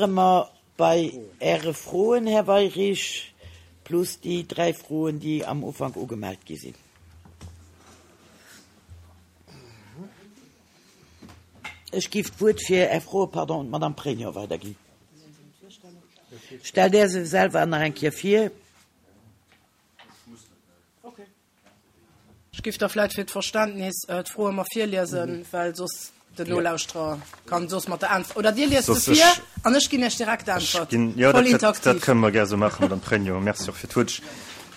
wiere mer bei Äre Froen, Här Weirich, plus déi 3 Froen, déi am Ufank ugemellt gi sinn. Ech géif d'Wuert fir Är Froe, pardon, un d'Madame Pregno weiderginn. Stellt Är se selwer nach eng Kéier vir. Ech géif da vläicht fir d'Verständnis d'Froe mer virliesen, well soss den Nolauschterer kann soss mat der Äntwert, oder Dir liest se vir an ech ginn Iech direkt d'Äntwert. Jo, dat kënne mer gär esou maachen, Madame Pregno. Merci och fir d'Wuert.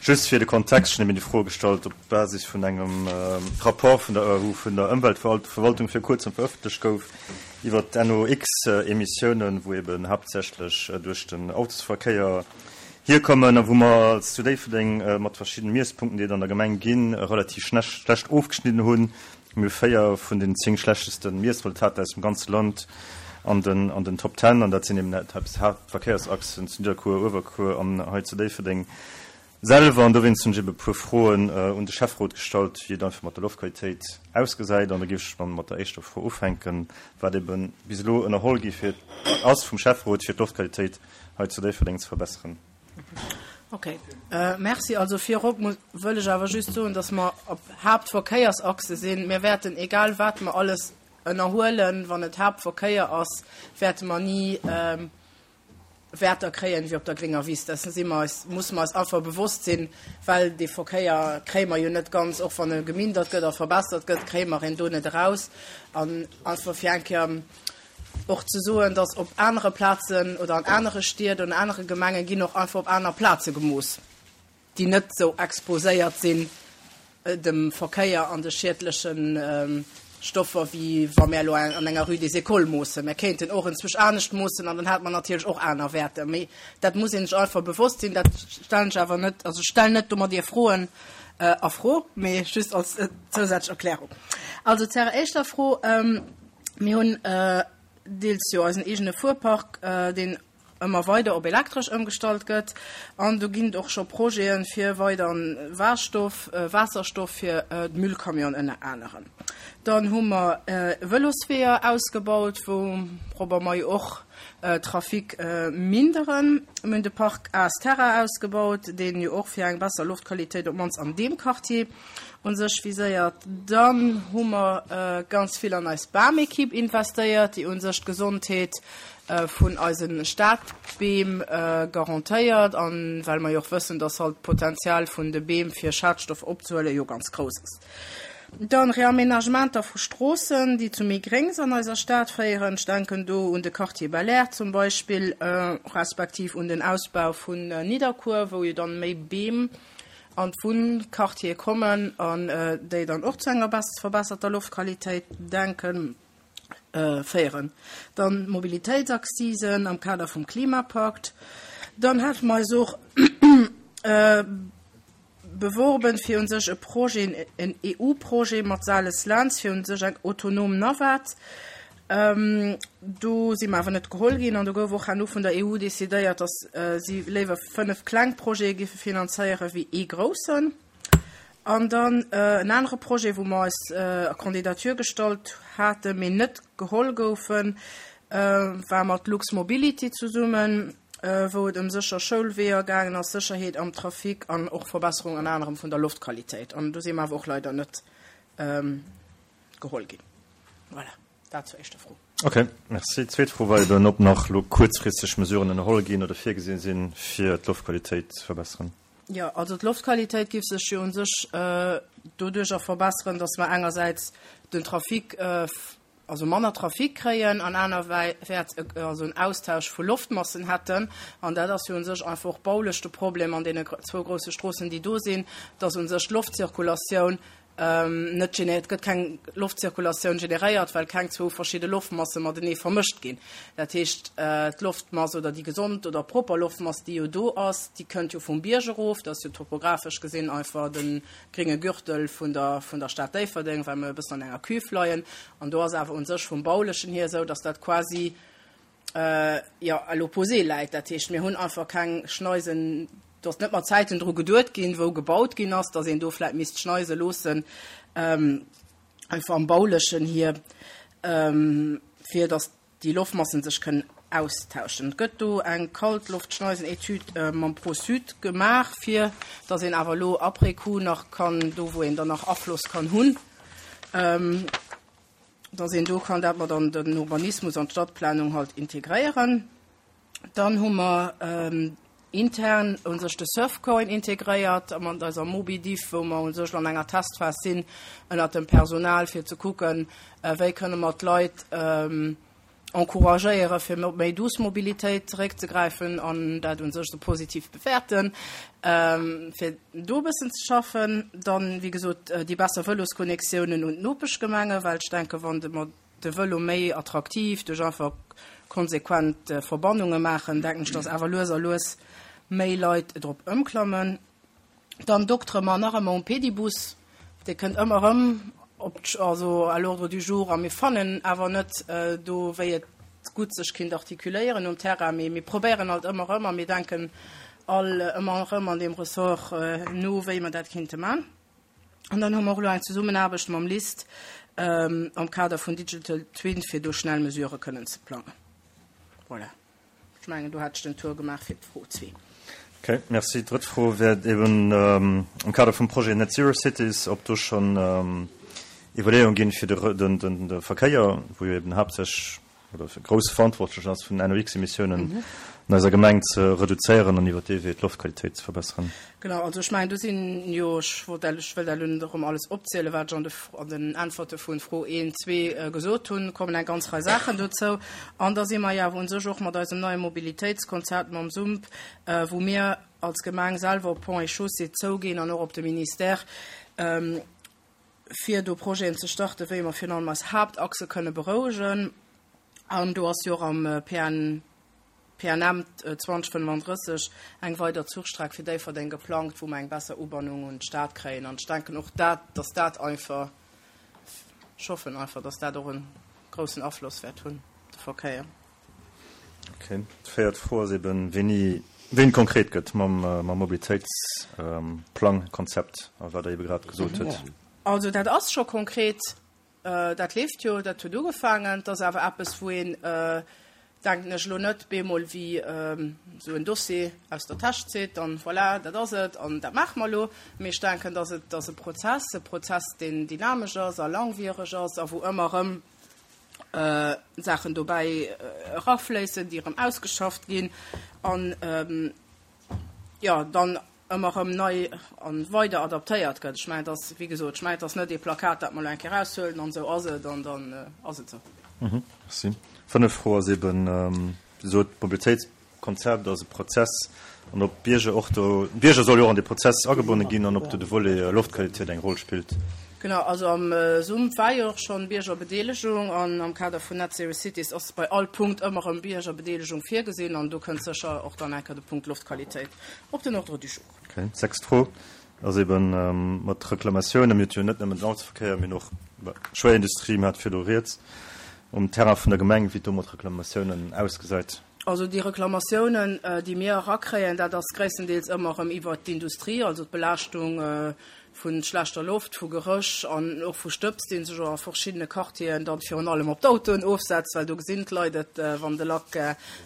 Just fir de Kontext, Ech hunn eben déi Fro gestallt op Basis vun engem Rapport vun der ÖAU, vun der Ëmweltverwaltung, vir kuerzem verëffentlecht gouf iwwert d'NOx-Emissiounen, wou eben haaptsächlech duerch den Autosverkéier hierkommen a wou mer als zu Déifferdeng mat verschiddene Miesspunkten, déi et an der Gemeng ginn, relativ schlecht ofgeschnidden hunn. Mir hu 4 vun den 10 schlechteste Miessresultater aus dem ganze Land an den an den Top Ten, an dat sinn eben d'Haaptverkéiersachsen zu Nidderkuer, Uewerkuer an hei zu Déifferdeng selwer. An dowéinst hunn ech eben e puer Froen un de Schäfferot gestallt, wéi et einfach mat der Loftqualitéit ausgesäit. An da géif ech mat der éischter Fro ufänken, wat eben bis elo ënnerholl gi fir ass vum Schäfferot, fir d'Loftqualitéit hei zu Déifferdeng ze verbesseren. Ok, merci. Also virop wëll ech awer just soen, dass mer op Haaptverkéiersachse sinn. Mir wäerten, egal wat mer alles ënnerhuelen, wann et Haaptverkéier ass, wäerte mer ni Wäerter kréien wéi op der grénger Wiss. Dessen si mer eis, musse mer eis einfach bewosst sinn, well dee Verkéier kréie mer jo net ganz, och wann e gemindert gëtt a verbessert gëtt, kréie mer en do net eraus. An einfach fir eng Kéier och ze soen, dass op anere Plazen oder an anere Stied an anere Gemenge ginn och einfach op aner Plaze gemooss, déi net esou exposéiert sinn dem Verkéier an de schiedleche Stoffer, wéi wa mir elo an enger Rue des Écoles moossen. Mir kéinten och enzwousch anescht moossen an dann hätte mer natierlech och aner Wäerter. Mee dat muss ee sech einfach bewosst sinn. Dat stellen ech awer net, also ech stellen net domat Är Froen a Fro, mee just als zousätzlech Erklärung. Also zu Ärer éischter Fro. Mir hunn deels jo eisen eegene Fuerpark, deen ëmmer weider op elektresch ëmgestallt gëtt. An do ginn et och scho Projete fir weider Waasstoff, Waasserstoff fir d'Müllcamion ënner anerem. Dann hu mer Vëlosweeër ausgebaut, wourobber mer jo och Trafic minderen. Mir hunn de Park AS Terra ausgebaut, deen jo och fir eng besser Loftqualitéit op d'mannst an deem Quartier u sech viséiert. Dann hu mer ganz vill an eis Bamekipp investéiert, déi u sech d'Gesondheet vun eise Stadbeem garantéiert. A well mer jo och wëssen, dass halt d'Potenzial vun de Beem fir Schadstoffer opzehuele jo ganz grouss ass. Dann Reaménagementer vu Stroossen, déi zu méi Gréngs an eiser Stad féieren. Ech denken do un de Quartier Belair zum Beispill, respektiv un den Ausbau vun Nidderkuer, wou jo dann méi Beem an d'Wunnquartiere kommen an déi dann och zu enger verbesserter Loftqualitéit denken, féieren. Dann d'Mobilitéitsaccisen am Kader vum Klimapakt. Dann hate mer eis och beworben, fir u sech e Projet, en EU-Projet mat Sales-Lentz, fir u sech eng autonom Navette Do si mer awer net geholl ginn an do gouf och herno vun der EU decidéiert, datt si léiwer 5 kleng Projete géife finanzéiere wéi ee groussen. An dann en anere Projet, wou mer eis a Candidature gestallt haten, mee net geholl goufen, war mat Luxmobility zesummen, wou et ëm sécher Schoulweeër gaangen ass, Sécherheet am Trafic an och Verbesserung ënner anerem vun der Loftqualitéit. An do si mer awer och leider net geholl ginn. Voilà, dat zur éischter Fro. Ok, merci. D'zweet Fro war eben, ob nach elo kuerzfristeg Mesuren ënnerholl ginn oder virgesinn sinn, fir d'Loftqualitéit ze verbesseren. Jo, also d'Loftqualitéit géif sech jo u sech doduercher verbesseren, datt mer engersäits den Trafic, also manner Trafic kréien an anerwäerts also en Austausch vu Loftmassen hätten. An dat ass jo u sech einfach och baulech de Problem an deene zwou grousse Stroossen, déi do sinn, datt u sech d'Loftzirkulatioun net genéiert, et gëtt keng Loftzirkulatioun generéiert, well keng zwou verschidde Loftmasse matenee vermëscht ginn. Dat heescht, d'Loftmass oder déi gesond oder propper Loftmass, déi jo do ass, déi kënnt jo vum Bierg erof, dat ass jo topographesch gesinn einfach de grénge Gürtel vun der, vun der Stad Déifferdeng, well mer e bëssen an enger Cuve leien. An do ass awer u sech vum Baulechen hier esou, datt dat quasi, jo, à l'opposé läit. Dat heescht, mir hunn einfach keng Schneisen, do ass net mat Zäiten dru geduet ginn, wou gebaut ginn ass, datt een do vläicht misst Schneise loossen, einfach am Baulechen hier, fir datt déi Loftmassen sech kënnen. austauschen. Et gëtt do eng Kaltloftschneisenetüd mam Pro-Sud gemaach, fir datt een awer elo après coup nach kann, do wou een dann nach Afloss kann hunn, datt een do kann dat mat an den Urbanismus, an d'Stadtplanung halt integréieren. Dann hu mer intern u sech de Surfcoin integréiert mat eiser MobiDiff, wou mer u sech an enger Testphas sinn ënnert dem Personal, fir ze kucken, wéi kënne mer d'Leit encouragéiere fir op méi douce Mobilitéit zeréckzegräifen an dat u sech esou positiv bewäerten, fir do e bëssen ze schaffen. Dann, wéi gesot, déi besser Vëlosconnectiounen un d'Nopeschgemengen, well ech denken, wann de mer de Vëlo méi attraktiv duerch einfach konsequent Verbannunge maachen, denken ech, dass awer lues a lues méi Leit drop ëmklammen. Dann doktere mer nach ëmmer um Pedibus, dee kënnt ëmmer erëm op d', also à l'ordre du jour a mir fannen awer net do, wéi et gutt sech kinnt artikuléieren um Terrain, mee mir probéieren alt ëmmer erëm a mir denken all ëmmer erëm an deem Ressort no, wéi mer dat kinnte man. An dann hu mer och elo eng Zesummenaarbecht mam LIST am Kader vun Digital Twin, fir do schnell Mesurë kënnen ze plangen. Voilà. Ech mengen, do hat ech den Tour gemaach fir d'Fro zwee. Okay, merci. D'drëtt Fro wär eben am Kader vum Projet Net Zero Cities, ob do schonn Iwwerleeung ginn, fir de Verkéier, wou jo eben haaptsächlech oder fir grouss verantwortlech ass vun NOx-Emissiounen an eiser Gemeng ze reduzéieren an iwwer dee Wee d'Loftqualitéit ze verbesseren. Genau, also ech mengen, do sinn jo, ech wollt dat, ech wëll dat elo net erëm alles opzielen, wat ech an de, an den Äntwerte vu Fro 1, 2 gesot hunn, kommen eng ganz Rei Saachen dozou. An da si mer jo awer u sech och mat eisem neie Mobilitéitskonzept, mam SUMP, wou mir als Gemeng selwer op Ponts et Chaussées zouginn an och op de Ministère, fir do Projeten ze starten, wéi mer virun allem eis Haaptachse kënne berouegen. An do ass jo och am PN, PNM 2035 eng weider Zuchstreck fir Déifferdeng geplangt, wou mer eng besser Ubannung un d'Stad kréien. An ech denken och dat, dass dat einfach, ech hoffen einfach, dass dat och e groussen Afloss wäert hunn, de Verkéier. Okay. D'véiert Fro ass eben, wéini, wéini konkret gëtt mam, mam Mobilitéitsplang, Konzept a wat Der ebe grad gesot hutt. Also dat ass scho konkret. Dat leeft jo, dat huet ugefaangen. Et ass awer eppes, wou een, denken ech, elo net bemol wéi esou en Dossier aus der Täsch zitt an voilà, dat ass et an dat maache mer elo. Mee ech denken, dass et ass e Prozess, e Prozess, deen dynamesch ass a langwiereg ass a wou ëmmer erëm Saachen dobäi erafléissen, déi erëm ausgeschafft ginn an, jo, dann ëmmer erëm nei a weider adaptéiert gëtt. Ech mengen, et ass, wéi gesot, ech mengen, et ass net ee Plakat, dat mer elo eng Kéier eraushuelen an esou ass et an dann ass et esou. Merci. Fënnef Fro ass eben, Dir sot, d'Mobilitéitskonzept ass e Prozess an ob d'Bierger och do, d'Bierger solle jo och an dee Prozess agebonne ginn an ob do de Volet Loftqualitéit eng Roll spillt. Genau, also am SUMP war jo och schonn Biergerbedeelegung an am Kader vun Net Zero Cities ass bei all Punkt ëmmer erëm Biergerbedeelegung virgesinn an do kënnt sécher och dann eng Kéier de Punkt Loftqualitéit op den Ordre du jour. Okay. Sechst Fro ass eben mat Reklamatiounen. Mir huet jo net nëmmen den Autosverkéier, mir hunn och d'Schwéierindustrie, mir hate virdu rieds um Terrain vun der Gemeng, wéi et do mat Reklamatiounen ausgesäit. Also déi Reklamatiounen, déi mir erakréien, dat ass gréisstendeels ëmmer erëm iwwert d'Industrie, also d'Belaaschtung vu schlechter Loft, vu Geréch an och vu Stëbs, dee sech och a verschiddene Quartieren dann virun allem op d'Autoen ofsetzt, well do gesinn d'Leit et, wann de Lack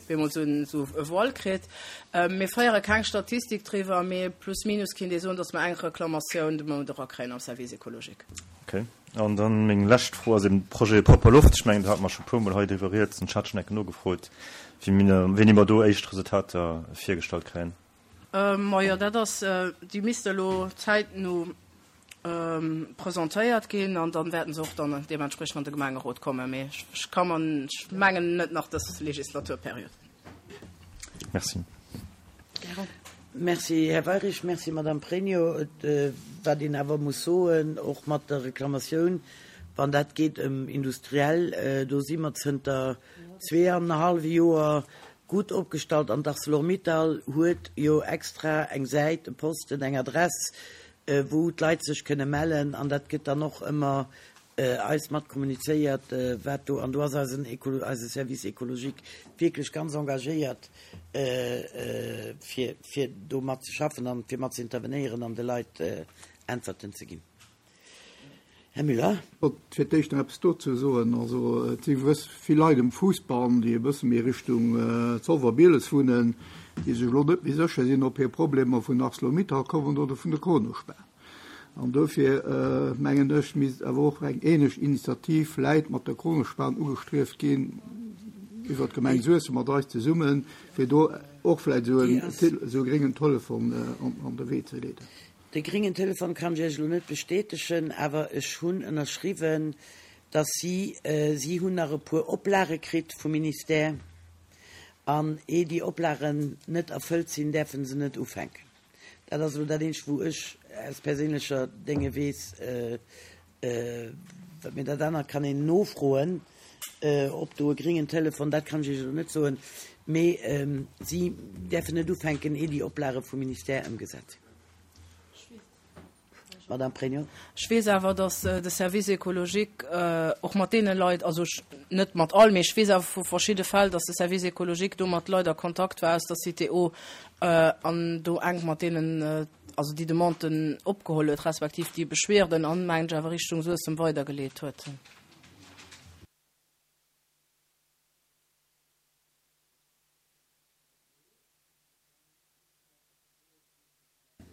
bemol esou e Voile kritt. Mir féiere keng Statistik driwwer, mee plus minus kinnt ee soen, datt mer eng Reklamatioun de Mount erakréien am Service écologique. Okay. An dann meng lescht Fro ass eben de Projet Propper Luft. Ech mengen, do hate mer scho e puermol hei driwwer rieds an ech hat schonn eng Kéier nogefrot, wéini mer do éischt Resultater virgestallt kréien. Majo, dat ass, déi misste elo zäitno presentéiert ginn an dann wäerten se och dann deementspriechend an de Gemengerot kommen. Mee ech ka mer, ech mengen net nach dës Legislaturperiod. Merci. Merci, Här Weirich. Merci, Madame Pregno. Et, wat een awer muss soen, och mat der Reklamatioun, wann dat geet ëm Industriell, do si mer zënter zweeanenhallwe Joer gutt opgestallt an d'Arcelor-Mittal huet jo extra eng Säit, e Posten, eng Adress, wou d'Leit sech kënne mellen an dat gëtt dann och ëmmer eis mat kommunizéiert, wat do, an do ass eisen eise Service écologique wierklech ganz engagéiert, fir fir do mat ze schaffen an fir mat ze intervenéieren an de Leit Äntwerten ze ginn. Här Müller. Ech wollt fir d'éischt nach eppes dozou soen. Also et si gewëss vill Leit um Fousbann, déi e bësse méi Richtung Zolwer-Bieles wunnen, déi sech elo net méi sécher sinn, ob hir Problemer vun Arcelor-Mittal kommen oder vun der Kronospan. An dofir, mengen ech, misst awer och eng ähnlech Initiativ vläit mat der Kronospan ugestrieft ginn, iwwert d'Gemeng Suessem mat eis zesummen, fir do och vläit esou e gréngen Telefon an de Wee ze leeden. De gréngen Telefon kann ech Iech elo net bestätegen, awer ech hunn ënnerschriwwen, dass si, si hunn nach e puer Oplage kritt vum Ministère, an eh déi Oplagen net erfëllt sinn, däerfe se net ufänken. Dat ass elo dat eenzegt, wou ech aus perséinlecher Dénge weess, wat mir dat anert kann een nofroen, ob do e gréngen Telefon, dat kann ech Iech elo net soen, mee si däerfen net ufänken, eh déi Oplage vum Ministère ëmgesat sinn. Madame Pregno. Ech weess awer, datt de Service écologique och mat deene Leit, also ech, net mat all, mee ech weess awer vu verschidde Fäll, datt de Service écologique do mat Leit a Kontakt war aus der Cité O an do enk mat deenen, also déi Demanden opgeholl huet, respektiv déi Beschwerden an, mengen ech awer, Richtung Suessem weidergeleet huet.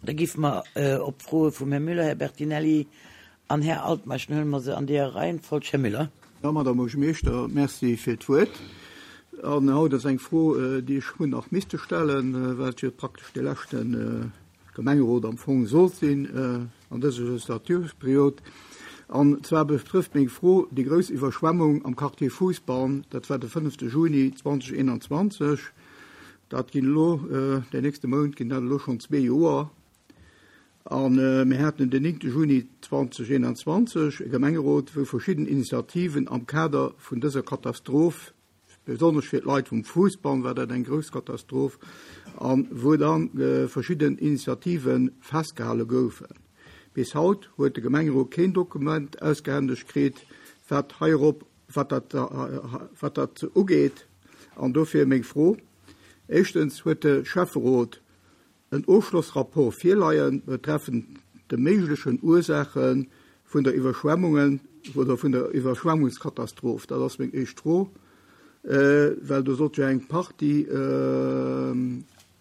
Da géife mer op d'Froe vum Här Müller, Här Bertinelli an Här Altmeisch, dann huele mer se an deeër Reihenfolg. Här Müller. Jo, Madame Buergermeeschter, merci fir d'Wuert. An haut ass eng Fro, déi ech hunn nach misste stellen, well et jo praktesch dee leschte Gemengerot am Fong sollt sinn an dëser Legislaturperiod. An zwar betrëfft meng Fro déi grouss Iwwerschwemmung am Quartier Fousbann, dat war de fënnefte Juni 2021. Dat ginn elo, den nächste Mount ginn dat elo schonn zwee Joer. A mir haten den 9. Juni 2021 e Gemengerot, wou verschidden Initiativen am Kader vun dëser Katastroph, besonnesch fir d'Leit vum Fousbann war dat eng grouss Katastroph, a wou da verschidden Initiative festgehale goufen. Bis haut huet de Gemengerot keen Dokument ausgehändegt kritt, wat heirop wat dat, wat dat ugeet. An dofir meng Fro, Éischtens, huet de Schäfferot en Ofschlossrapport virleie betreffend de méiglechen Ursaache vun der Iwwerschwemmungen oder vun der Iwwerschwemmungskatastroph? Dat ass meng éischt Fro, well do sollt jo eng Partie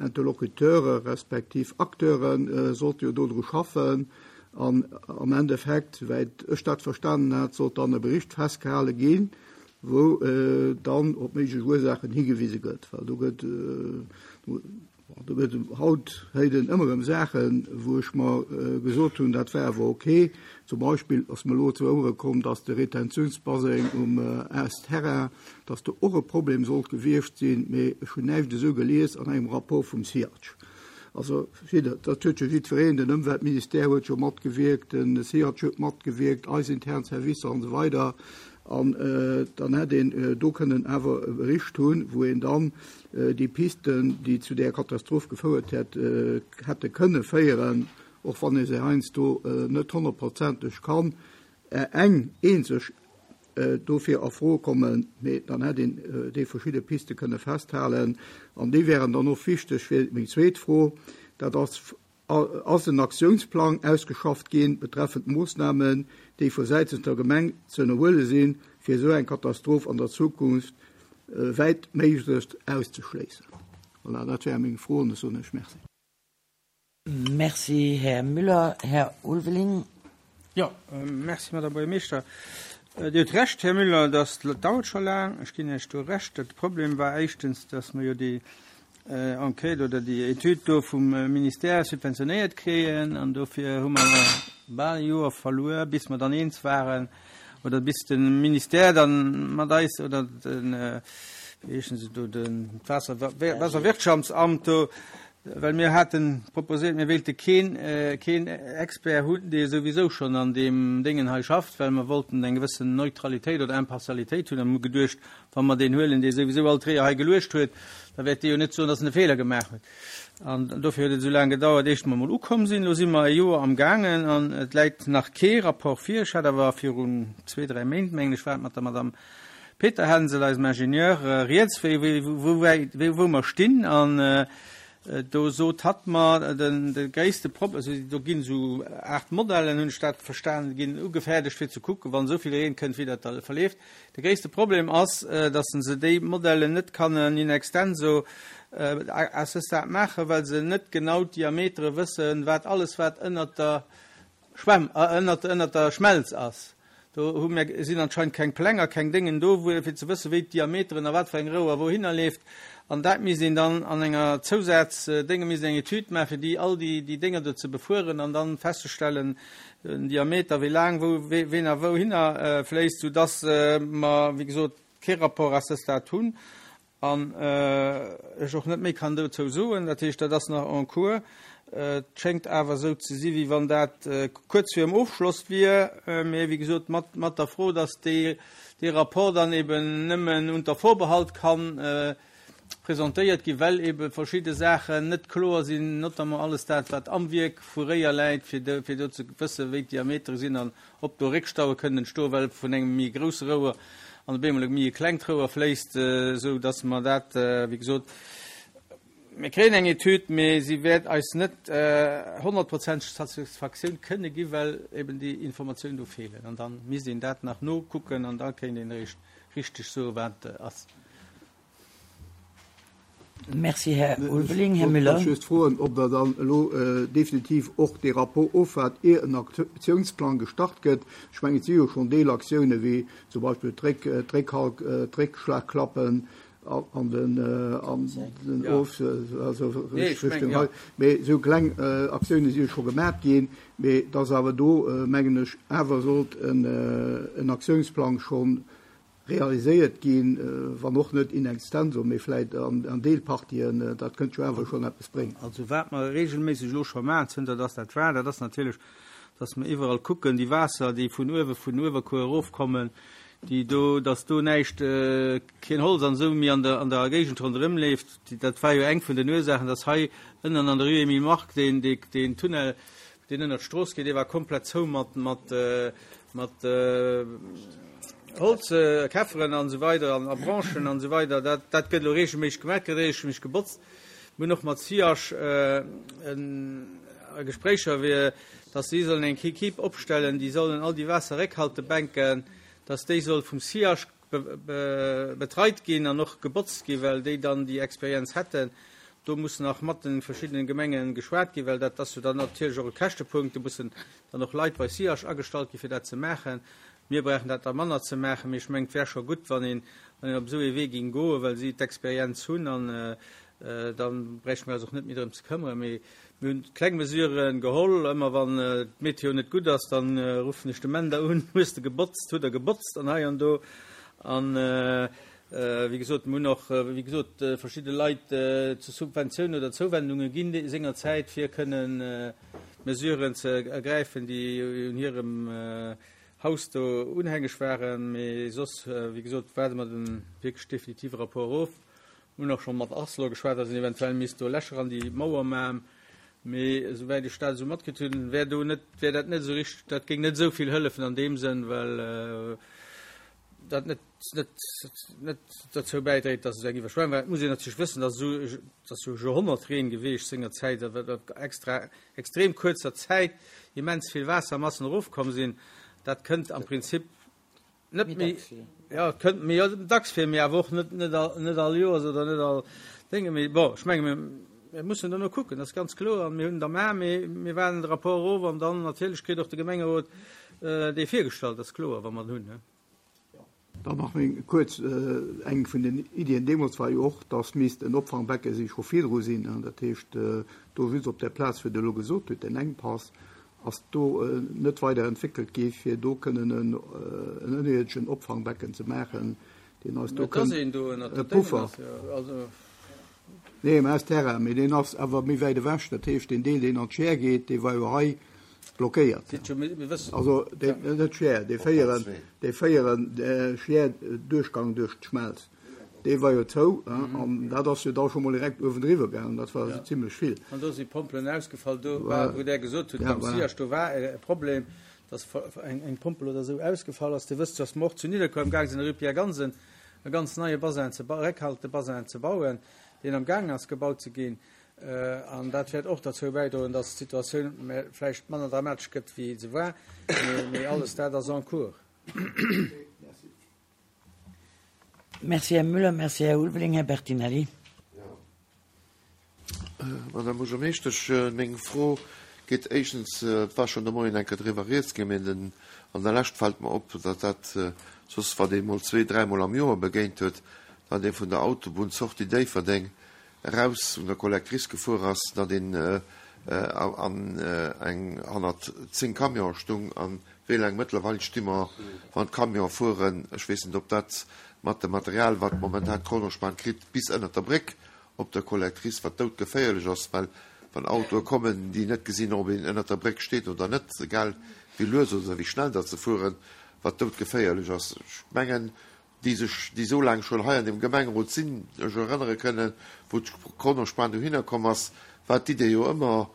Interlocuteure respektiv Acteure sollte jo dodru schaffen. An am Endeffekt, souwäit ech dat verstanen hat, sollt dann e Bericht festgehale ginn, wou dann op méiglech Ursaachen higewise gëtt. Well do gëtt, do gëtt haut héiden ëmmer erëm Saachen, wou ech mer gesot hunn, dat war awer ok. Zum Beispill ass mer elo zu Ouere komm, dass de Retentiounsbaseng um Terrain, dass do och e Problem sollt gewiescht sinn, mee ech hunn näischt esou gelies an engem Rapport vum SIAC. Also jidder, dat huet jo jiddwereen, den Ëmweltministère huet jo matgewierkt, de SIAC huet matgewierkt, eis intern Servicer an esou weider. An dann hätt een do kënnen awer e Bericht hunn, wou een dann déi Pisten, déi zu där Katastroph gefouert hätt, hätte kënne féieren, och wann ee se heiansdo net honnertprozenteg kann eng eenzeg dofir a Fro kommen, mee dann hätt een déi verschidde Piste kënne festhalen an déi wären dann och wichteg fir meng zweet Fro, dat ass, Ass en Aktiounsplang ausgeschafft gi betreffend Moossnamen, déi vu säitens der Gemeng ze ënnerhuele sinn, fir esou eng Katastroph an der Zukunft wäit méiglechst auszeschléissen? Voilà, dat wäre meng Froen. Ech soen Iech Merci. Merci, Här Müller. Här Ulveling. Jo, merci, Madame Buergermeeschter. Dir hutt Recht, Här Müller, dass dauert scho laang. Ech ginn Iech do Recht. De Problem war éischtens, dass mer jo déi Enquête oder déi Etüd do vum Ministère subventionéiert kréien. An dofir hu mer bal e Joer verluer, bis mer dann eens waren oder bis de Ministère dann mat eis oder den, wéi heeschen se do, den Waasserwirtschaftsamt do, Well mir hate proposéiert, mir wéilte keen, keen Expert hunn, dee souwisou schonn an deem Déngen hei schafft, well mer wollten eng gewëssen Neutralitéit oder Impartialitéit hunn a mir hu geduecht, wa mer deen huelen, dee souwisou all d'Reeër hei geluecht huet, da wäert dee jo net soen, datt en e Feeler gemaach huet. An dofir huet et esou laang gedauert, éischt mer emol ukomm sinn. Elo si mer e Joer amgaangen an et läit nach kee Rapport vir. Ech hat awer virun zwee, dräi Méint, mengen ech, war et mat der Madame Peterhänsel, eisem Ingenieur, rieds, wéi, wéi, wou wäit, wéi, wou mer stinn. An. Do sot hatt mer, den de gréisste Prob, also do ginn esou Aart Modellen, hunn ech dat verstanen, ginn ugefäerdegt fir ze kucken, wann esou vill Reen kënnt, wéi dat da verleeft. De gréisste Problem ass, datt se déi Modellen net kannen in extenso à ce stade maachen, well se net genau d'Diametere wëssen, wat alles wat ënnert der Schwämm, ënnert, ënnert der Schmelz ass. Do hu mir, sinn anscheinend keng Pläng a keng Déngen do, wou, fir ze wëssen, wéi d'Diameteren a wat fir eng Rouer wouhinner leeft. An dat misst een dann an enger Zousaz-Dénge, misst een eng Etüd maachen, fir déi, all déi, déi Dénger do ze befueren an dann festzestellen, den Diameter, wéi laang, wou, wéi, ween a wouhinner fléisst, soudass mer, wéi gesot, kee Rapport à ce stade hunn. An ech och net méi kann dozou soen. Dat heescht, dat ass nach en cours. Et schéngt awer esou ze si wéi wann dat kuerz virum Ofschloss wier. Mee wéi gesot, mat, mat der Fro, datt dee, dee Rapport dann eben nëmmen unter Vorbehalt kann presentéiert ginn, well ebe verschidde Saachen net kloer sinn, notamment alles dat, wat am Wierk vu Réier läit, fir do, fir do ze wëssen, wéi d'Diametere sinn an Ob do Réckstaue kënnen entstoen, well vun engem méi grousse Rouer an op eemol e méi e klengt Rouer fléisst, esou dass mer dat, wéi gesot, mir kréien eng Etüd, mee si wäert eis net honnertprozenteg Satisfaktioun kënne ginn, well eben déi Informatiounen do feelen. An da misst een dat nach nokucken an da kéint een eréischt richteg soen, wat ass. Merci, Här Ulveling. Här Müller. Ech wollt just froen, ob Der dann elo definitiv och dee Rapport ofwaart, ier en Aktiounsplang gestart gëtt. Ech mengen, et si jo schonn Deelaktiounen, wéi zum Beispill d'Réckschlagklappen an den Of, also Richtung hei. Mee esou kleng Aktiounen si jo scho gemaach ginn. Mee dass awer do, mengen ech, awer sollt en Aktiounsplang schonn realiséiert ginn, wann och net in extenso, mee vläit an Deelpartien, dat kënnt jo awer schonn eppes bréngen. Also wat mer regelméisseg elo scho maachen, zënter dass dat war, dat ass natierlech, dass mer iwwerall kucken, déi Waasser, déi vun uewe vun Uewerkuer erofkommen, déi do, dass do näischt, keen Holz an esou méi an der, an der Géigend ronderëm leeft. Dat war jo eng vun den Ursaachen, dass hei ënnen an der Rue Emile Mark deen, deen Tunnel, deen ënnert d'Strooss geet, dee war komplett zou mat, mat, mat Holz, Käfferen an esou weider an a Branchen an esou weider. Dat, dat gëtt elo reegelméisseg gemaach, gëtt reegelméisseg gebotzt. Mir hunn och mat SIAG a Gespréicher, fir dass si sollen eng Equipe opstellen, déi sollen all déi Waasserréckhaltebänken, dass déi soll vum SIAG betreit ginn an och gebotzt ginn, well déi dann déi Experienz hätten. Do muss nach mat de verschiddene Gemenge geschwat ginn, well dat ass jo dann natierlech och e Käschtepunkt. Do mussen dann och Leit bei SIAG agestallt ginn, fir dat ze maachen. Mir brauchen dat da manner ze maachen, mee ech mengen, et wär scho gutt, wann een op esou ee Wee géing goen, well si d'Experienz hunn an da bräichte mir eis och net méi drëm ze këmmeren. Mee Mir hunn kleng Mesurë geholl. Ëmmer wann d'Meteo net gutt ass, da ruffen ech de Mender un, Hues de gebotzt? Hutt der gebotzt? An hei an do. An wéi gesot, mir hunn och, wéi gesot, verschidde Leit zu Subventiounen oder Zouwendunge ginn sengerzäit, fir kënnen Mesuren ze ergräifen, déi un hirem Haus do unhängeg waren. Mee soss, wéi gesot, waarde mer de wierklech definitive Rapport of. Mir hunn och scho mat Arcelor geschwat, dass een eventuell misst do Lächer an déi Mauer maachen, mee esouwäit ech dat esou matkritt hunn, wär do net, wär dat net esou richteg, dat géing net esou vill hëllefen an deem Sënn, well dat net, net, net dozou bäidréit, dass et eng Iwwerschwemmung war. Et muss een natierlech wëssen, dass esou, dass jo Joerhonnertreen geweecht sengerzäit, a wat op extra, extrem kuerzer Zäit immens vill Waassermassen erofkomm sinn. Dat kënnt am Prinzip Net méi, ja, et kënnt méi dacks vir, mee awer och net, net all, net all Joers oder net all Dénge. Mee bon, ech menge mir, mir mussen dono kucken, dat ass ganz kloer. An mir hunn et am A, mee mir waarden de Rapport erof an dann natierlech kritt och de Gemengerot dee virgestallt, dat ass kloer, wa mer en hunn. Dann nach meng kuerz, eng vun den Iddien deemools war jo och, dass misst en Opfangbecke si scho virdru sinn, dat heescht do just op där Plaz, wou Der elo gesot hutt, den Enkpass, Ass do net weider entwéckelt gi fir do kënnen en ënnerierdeschen Opfangbecken ze maachen, deen eis do kënnt e Puffer? Nee, mä ass Terrain, mee deen ass awer méi wäit ewech. Dat heescht, deen Deel, deen an d'Schär geet, dee war jo hei blockéiert. Also deen, net d'Schär, dee féieren, dee féieren Schär-Duerchgang duerch d'Schmelz. Dee war jo zou, an dat ass jo da scho mol direkt uewendriwwer gaangen. Dat war zimlech vill. An do si Pompelen ausgefall. Do war, wou Der gesot hutt, beim Siège, do war e Problem, dass eng Pompel oder esou ausgefall ass. Dir wësst, dass mer och zu Nidderkuer amgaang sinn, der Rue Pierre Gansen e ganz neie Bassin ze, Réckhaltebassin ze bauen, deen amgaang ass gebaut ze ginn. An dat wäert och derzou bäidroen, dass d'Situatioun vläicht manner dramatesch gëtt, wéi se war. Mee alles dat ass en cours. Merci, Här Müller. Merci, Här Ulveling. Här Bertinelli. Madame Buergermeeschtesch, meng Fro geet éischtens, et war schonn de Moien eng Kéier driwwer rieds ginn, mee den, an der Lescht fält mer op, datt dat soss, wat ee mol zwee-, dräimol am Joer begéint huet, datt ee vun der Autobunn Sortie Déifferdeng eraus un der Collectrice gefuer ass, datt een an eng hannert 10 Camionë stung an wéi laang mëttlerweil sti mer wann d'Camionë fueren, ech weess net ob dat mat dem Material wat momentan d'Kronospan kritt bis ënnert der Bréck op der Collectrice, wat doudgeféierlech ass, well wann Autoe kommen déi net gesinn ob een ënnert der Bréck steet oder net, egal wéi lues oder wéi schnell datt se fueren, wat doudgeféierlech ass. Ech mengen déi sech, déi esou laang schonn hei an deem Gemengerot sinn, sech erënnere kënnen, wou d'Kronospan dohinner komm ass, war d'Idee jo ëmmer,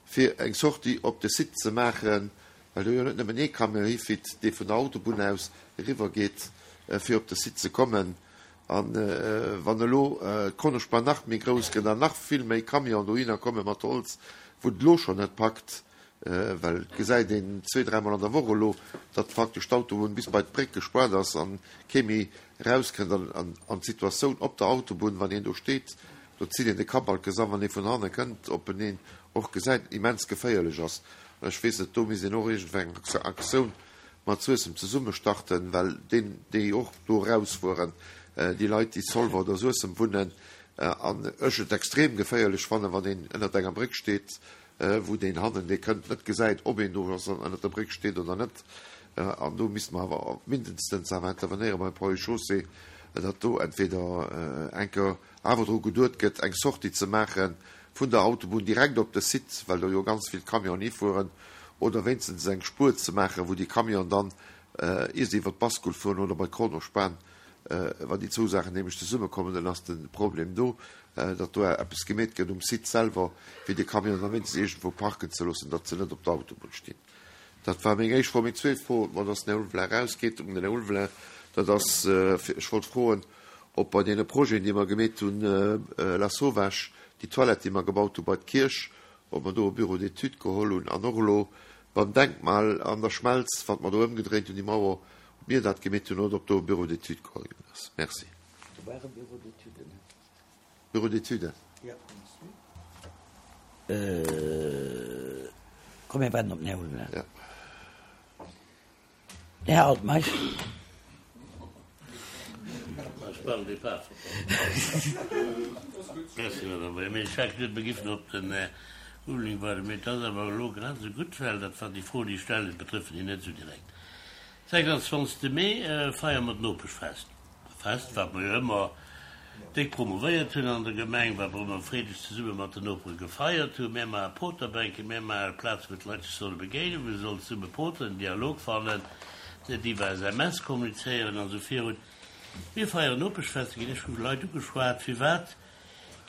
fir eng Sortie op de Site ze maachen, well do jo net nëmmen ee Camion hifitt, dee vun der Autobunn aus eriwwer geet, fir op de Site ze kommen. A wann elo d'Kronospan nach méi grouss gëtt an nach vill méi Camionen dohinner komme mat Holz, wou et elo schonn net packt, Well et gesäit een zwee-, dräimol an der Woch elo, datt praktesch d'Autobunn bis bei d'Bréck gespaart ass a kee méi erauskënnt. An d'Situatioun op der Autobunn, wann een do steet, do zitt een de Kapp alt gesamm, wann ee vun hanne kënnt, ob en een och gesäit, immens geféierlech ass. An ech weess net, do misst een och iergendwéi eng Aktioun mat Suessem zesumme starten, well deen, déi och do erausfueren, déi Leit, déi Zolwer oder Suessem wunnen, an ech et extrem geféierlech fannen, wann een ënnert enger Bréck steet, wou deen hannen, dee kënnt, net gesäit, ob een do ass an ënnert der Bréck steet oder net. An do misste mer awer mindestens awer intervenéiere beim Ponts et Chaussées, datt do entweder eng Kéier awer dru geduet gëtt, eng Sortie ze maache vun der Autobunn direkt op de Site, well do jo ganz vill Camionen hifueren, oder wéinstens eng Spuer ze maachen, wou déi Camionen dann, ier se iwwer d'Bascule fueren oder bei d'Kronospan, wann déi zwou Saachen nämlech zesummekommen, dann ass de Problem do, datt do eppes gemeet gëtt um Site selwer, fir déi Camionen da wéinstens iergendwou parken ze loossen, datt se net op der Autobunn stinn. Dat war meng éischt Fro. Meng zweet Fro, ma datt den Här Ulveling erausgeet, un den Här Ulveling, dat ass, ech wollt froen, ob bei deene Projeten, déi mer gemeet hunn, Lasauvage, déi Toilette, déi mer gebaut hu bei d'Kierch, ob mer do e Bureau d'études geholl hunn an och elo beim Denkmal an der Schmelz, wat mer do ëmgedréint hunn, déi Mauer, ob mir dat gemeet hunn oder ob do e Bureau d'études geholl ginn ass. Merci. Do ware Bureau d'étuden. Bureau d'études. Jo. Komm, mir waarden op den Här Ulveling. Ja. Den Här Altmeisch. Ech brauch dee Paffer. Merci, Madame Buergermeeschtesch. Ech hat net begiffen op den Här Ulveling waarden, mee et ass awer elo grad esou gutt, well dat war déi Fro, déi ech stellen, betrëffen hien net esou direkt. 26 Mee feiere mer d'Nopeschfest. E Fest, wat mer jo ëmmer déck promouvéiert hunn an der Gemeng, wat mer ëmmer freedeg zesumme mat den Nopere gefeiert hunn. Mär maache Poterbänken, mär maache Plaze wou d'Leit sech solle begéinen, wou se sollen zesumme poteren, en Dialog fannen, net iwwer SMS kommunizéieren an esou virun. Mir feieren Nopeschfest, da ginn ech vu Leit ugeschwat, firwat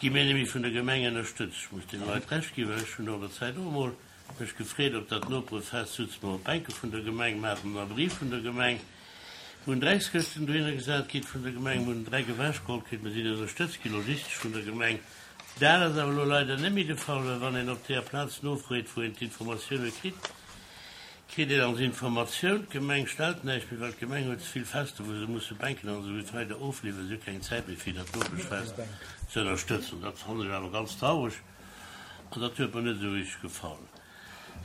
gi mir net méi vun der Gemeng ënnerstëtzt? Ech muss deene Leit Recht ginn, well ech hunn no der Zäit och emol Mech gefreet op dat Noperefest sutze mer op Bänke vun der Gemeng, maachen en Abri vun der Gemeng, mir hunn Dreckskëschten dohinner gesat kritt vun der Gemeng, mir hunn den Dreck ewechgeholl kritt, mir sinn ënnerstëtzt gi logistesch vun der Gemeng. Dat ass awer elo leider net méi de Fall, well wann een op deeër Plaz nofreet, wou een d'Informatioune kritt, kritt een als Informatioun, d'Gemeng stellt näischt méi, well d'Gemeng huet ze vill Fester, wou se musse Bänken an esou weider ofliwweren, se hu keng Zäit méi fir dat Nopeschfest ze ënnerstëtzen. Dat fannen ech awer ganz traureg. An dat huet mer net esou richteg gefall.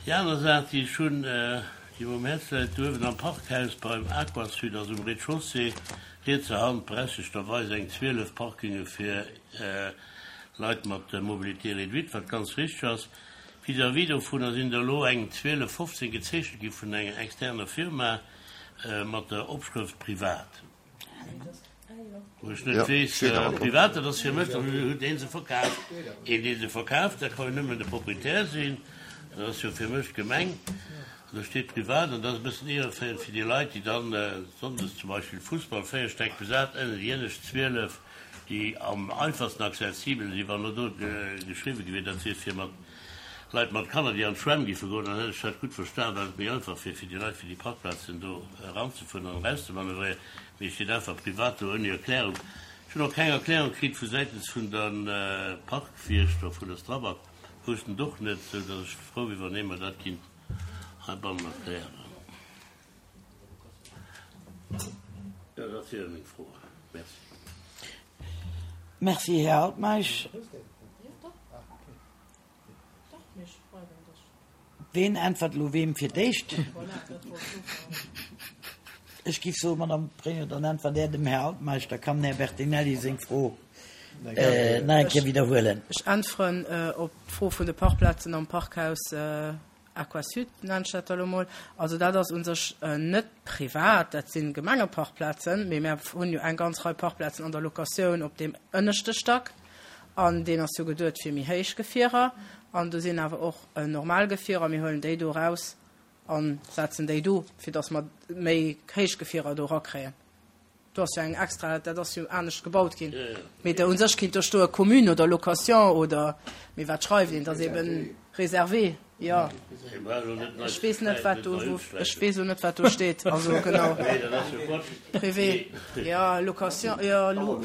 Déi aner Saach, déi ech hunn, déi mer um Häerz läit, do uewen am Parkhaus beim Aquasud, also um Rez-de-chaussée, rietser Hand berechtegterweis eng 12 Parkinge fir Leit mat Mobilité réduite, wat ganz richteg ass. Vis-à-vis dovunner sinn der elo eng 12, 15 gezeechent gi vun enger externer Firma mat der Opschrëft privat. Wou ech net weess, privat, dat ass fir mech, dann huet een se verkaaft. Een, dee se verkaaft, dat ka jo nëmmen de Proprietär sinn, dat ass jo fir mech d'Gemeng. An do steet privat, an dat ass e bëssen iereféierend fir déi Leit, déi dann sonndes zum Beispill Fussball, 4 Stäck besat, ënnen déi ënnescht 12, déi am einfachsten accessibel sinn, wann elo do geschriwwe gi wier, dat wier fir mat Leit mat Kanner, déi an d'Schwämm giffe goen, dann hätt ech dat gutt verstan, well et méi einfach wier fir déi Leit, fir déi Parkplazen do eranzefueren an erauszemanövréieren. Mee et steet einfach privat do ouni Erklärung. Ech hunn och keng Erklärung kritt vu säitens vun der Parkwiechter vun der Strabag, woussten et och net, sou datt ech frou wier, wann ee mer dat kinnt heibannen erklären. Jo, dat wiere meng Froen. Merci. Merci, Här Altmeisch. Ween äntwert elo weem fir d'éischt? Ech géif soen, Madame Pregno, dann äntwert Där dem Här Altmeisch, da kann den Här Bertinelli seng Fro nach eng Kéier widderhuelen. Ech äntweren op d'Fro vun de Parkplazen am Parkhaus Aquasud nennen ech dat da elo mol. Also dat ass u sech net privat, dat si Gemengeparkplazen, mee mär hunn jo eng ganz Rei Parkplazen an der Locatioun op deem ënneschte Stack an deen ass jo geduet fir méi héich Gefierer an do sinn awer och normal Gefierer. Mir huelen déi do eraus a setzen déi do, fir datt mer méi héich Gefierer do erakréien. Do ass jo eng extra, dat ass jo anescht gebaut ginn. Mee da u sech kinnt do stoe Commune oder Location oder, mee wat schreift een? Dat ass eben réservé, jo. Ech weess net, wat do, ech weess elo net, wat do steet. Also genau, privé, jo, Location, jo, lo,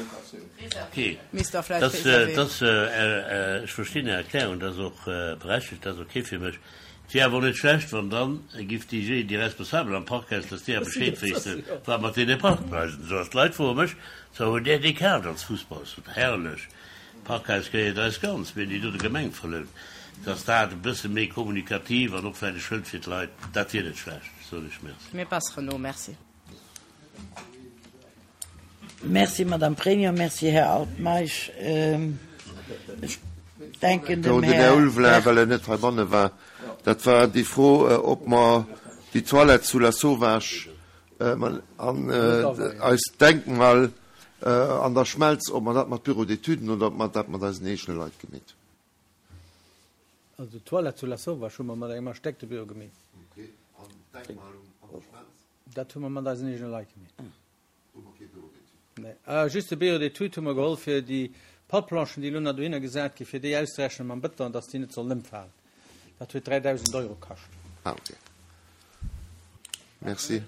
misst da vläicht réservé. Dat ass, ech verstinn Är Erklärung, dat ass och berechtigt, dat ass ok fir mech. Et wier awer och net schlecht, wann dann giff déi déi Responsabel am Parkhaus, dass déi Bescheed wéissten, wat mat deene Parkplazen esou ass. D'Leit froe mech zwar, Hutt Där déi kaaft als Fussballschoul? Herrlech, d'Parkhaus gehéiert eis ganz, mir hunn déi do der Gemeng verlount. Dass dat e bësse méi kommunikativ an och vläicht e Schëld fir d'Leit, dat wier net schlecht, soen ech. Merci. Mir besseren no. Merci. Merci, Madame Pregno. Merci, Här Altmeisch. Ech denken, dem Den Här Här Ulveling, well en net heibanne war, dat war déi Fro, ob mer déi Toilette zu Lasauvage an eist Denkmal an der Schmelz, ob mer dat mat Bureau d'études oder ob mer dat mat eisen eegene Leit gemeet hunn. Also d'Toilette zu Lasauvage hu mer mat engem Architektebüro gemeet. Okay. An d'Denkmal an der Schmelz? Dat hu mer mat eisen eegene Leit gemeet. Nee. Ah, just de Bureau d'études hu mer geholl, fir déi Palplanchen, déi elo nach dohinner gesat ginn, fir déi auszerechnen mam Bëton, dass déi net sollen ëmfalen. Dat huet 3.000 Euro kascht. Ah, okay. Merci.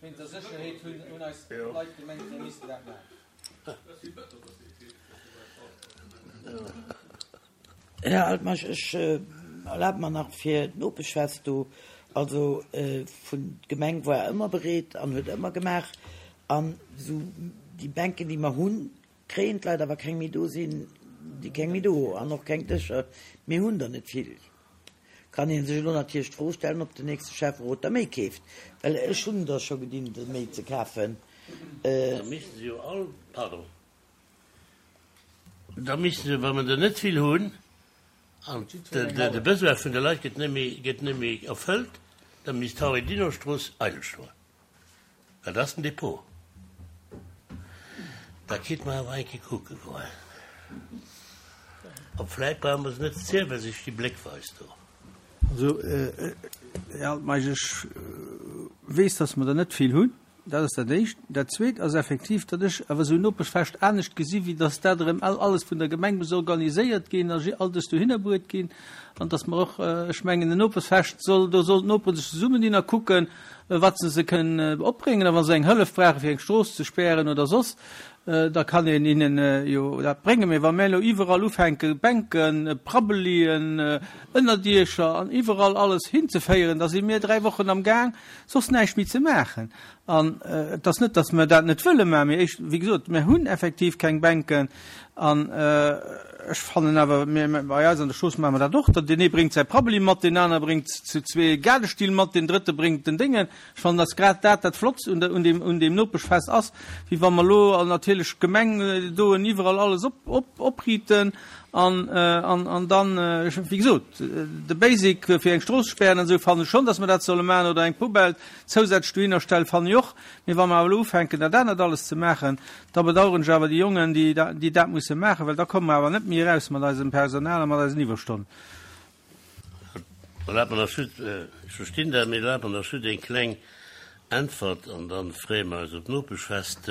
Wéinst der Sécherheet hunn eis Leit gemengt, mir missten dat maachen. Här Altmeisch, ech erlabe mer nach fir d'Nopeschfest do. Also vun d'Gemeng war ëmmer bereet an huet ëmmer gemaach. An esou déi Bänken, déi mer hunn, kréien d'Leit awer keng méi. Do sinn déi keng méi do an och keng Dëscher. Mir hunn der net vill. Kann ee sech elo natierlech d'Fro stellen, ob den nächste Schäfferot der méi keeft. Well ech hunn der scho gedinn, der méi ze kafen. Da misste se jo all, pardon, Da misste se, wa mer der net vill hunn, an de Besoin vun de Leit gëtt net méi, gëtt net méi erfëllt, da misst d'Henri-Dunant-Strooss eidel stoen, well dat ass den Depot. Da kéinte mer awer eng Kéier kucke goen, ob vläicht brauche mer se net ze zielen, well se sti bléckweis do. Also, Här Altmeisch, ech weess, dass mer der net vill hunn. Dat ass dat Éischt. Dat Zweet ass effektiv, datt ech awer esou en Nopeschfest anescht gesi wéi datt dat erëm all alles vun der Gemeng muss organiséiert ginn a all dës dohinner bruet ginn an datt mer och, ech mengen en Nopeschfest soll, do sollen d'Nopere sech zesummendinn a kucken, wat se se kënnen opbréngen a wa se eng Hëllef brauche fir eng Strooss ze spären oder soss, da kann een hinnen jo dat bréngen. Mee wa mir elo iwwerall ufänke Bänken, Prabbelien, Ënnerdiecher an iwwerall alles hinzeféieren, da si mir 3 Wochen am Gaang soss näischt méi ze maachen. An et ass net, datt mer dat net wëlle maachen, mee éischt, wéi gesot, mir hunn effektiv keng Bänken. An ech fannen awer, mir bei eis an der Strooss maache mer dat och, datt deen ee bréngt säi Prabbeli mat, deen anere bréngt zu zwee Gaardestill mat, deen drëtte bréngt den Déngen. Ech fannen, datt grad dat dat Flottst un der, un deem, un deem Nopeschfest ass, wéi wa mer elo, an natierlech d'Gemeng doen iwwerall alles op, op, opriiten An, an, an dann, wéi gesot, de Basic fir eng Strooss spären an esou fannen ech schonn, dass mer dat solle maachen, oder eng Poubelle zousätzlech dohinner stellen, fannen ech och. Mee wa mer awer elo ufänken, dat anert alles ze maachen, da bedauern ech awer déi Jongen, déi, déi dat musse maachen, well da komme mer awer net méi eraus mat eisem Personal a mat eisen Iwwerstonnen. Erlaabt mer nach just, ech verstinn dat, mee erlaabt mer nach just eng kleng Äntwert an da freeë mer eis op d'Nopeschfest.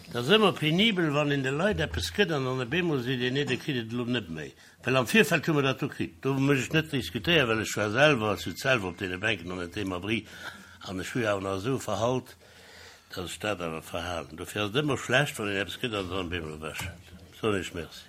Et ass ëmmer penibel, wann een de Leit eppes gëtt an dann op eemol seet een, nee, der kritt et elo net méi. Well am Virfeld hu mer dat do kritt. Do muss ech net diskutéieren, well ech war selwer, ech sutz selwer op deene Bänken an den Thema Brie an ech hu jo awer nach esou e Verhalt. Dass ech dat awer verhalen. Dofir ass et ëmmer schlecht, wann een eppes gëtt an et dann op eemol ewechhëlt. Soen ech Merci.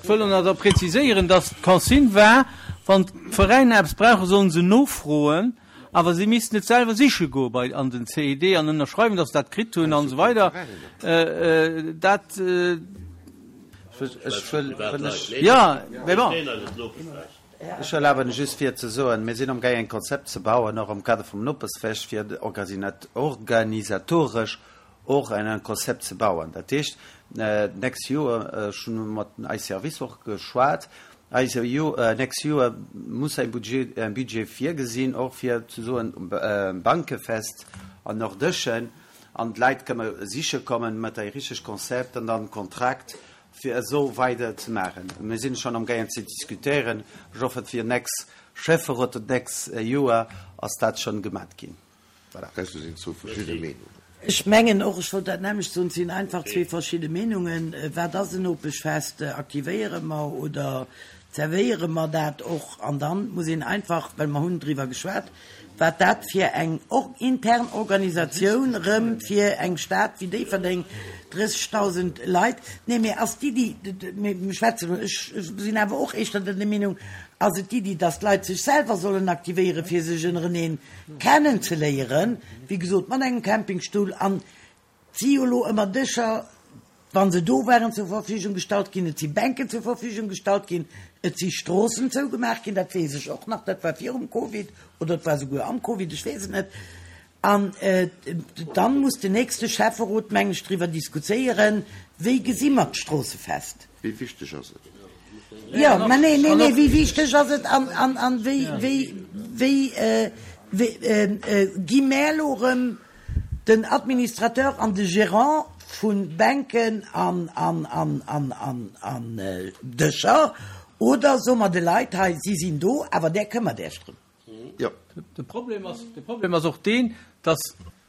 Ech wëll och nach präziséieren, dass d'Consigne war, wann d'Veräiner eppes brauchen, sollen se nofroen, awer si missten et selwer siche goe bei an den CID an ënnerschreiwen, dass se dat kritt hunn an esou weider. Dat. Ech wëll, wëll ech. Jo, mä bon. Ech wëll awer just fir ze soen, mir sinn amgaang en Konzept ze bauen, och am Kader vum Nopeschfest, fir organisatoresch och en Konzept ze bauen. Dat heescht, d'nächst Joer, ech hunn mat eis Service och geschwat, eise nächst Joer muss e Budget, e Budget virgesinn, och fir ze soen, Bankefest an och Dëschen, an d'Leit kënne siche kommen mat e richteg Konzept an dann Kontrakt, fir esou weider ze maachen. Mir sinn schonn amgaangen ze diskutéieren. Ech hoffen, fir nächst Schäfferot oder d'nächst Joer ass dat schonn gemat ginn. Voilà. Heiansdo sinn zwou verschidde Meenungen. Ech mengen och, ech wollt dat nämmlecht soen, et sinn einfach zwee verschidde Meenungen. Wat ass en Nopeschfest? Aktivéiere mer oder zerwéiere mer dat och? An dann muss een einfach, well mer hunn driwwer geschwat, wat dat fir eng intern Organisatioun erëm fir eng Stad wéi Déifferdeng, 30.000 Leit, nee, mee ass d'Iddi, mir schwätzen, ech sinn awer och éischter der Meenung, ass et d'Iddi, datt d'Leit sech selwer sollen aktivéieren, fir sech ënnereneen kennenzeléieren, wéi gesot, mat engem Campingstull an Et si jo elo ëmmer Dëscher, wa se do waren, zur Verfügung gestallt ginn, et si Bänken zur Verfügung gestallt ginn, et si Stroossen zougemaach ginn, dat weess ech och nach, dat war virum Covid oder et war souguer am Covid, ech weess et net. An dann muss den nächste Schäfferot, meng ech, driwwer diskutéieren, wéi gesi mer d'Stroossefest. Wéi wichteg ass et? Jo, mä nee, nee, nee, wéi wichteg ass et an, an, an wéi, wéi, wéi, wéi gi mär elo erëm Den Administrateur an de Gérant vu Bänken an Dëscher, oder soe mer de Leit, hei, si sinn do, awer där këmmert Äech drëm? Jo. De Problem ass, de Problem ass och deen, dass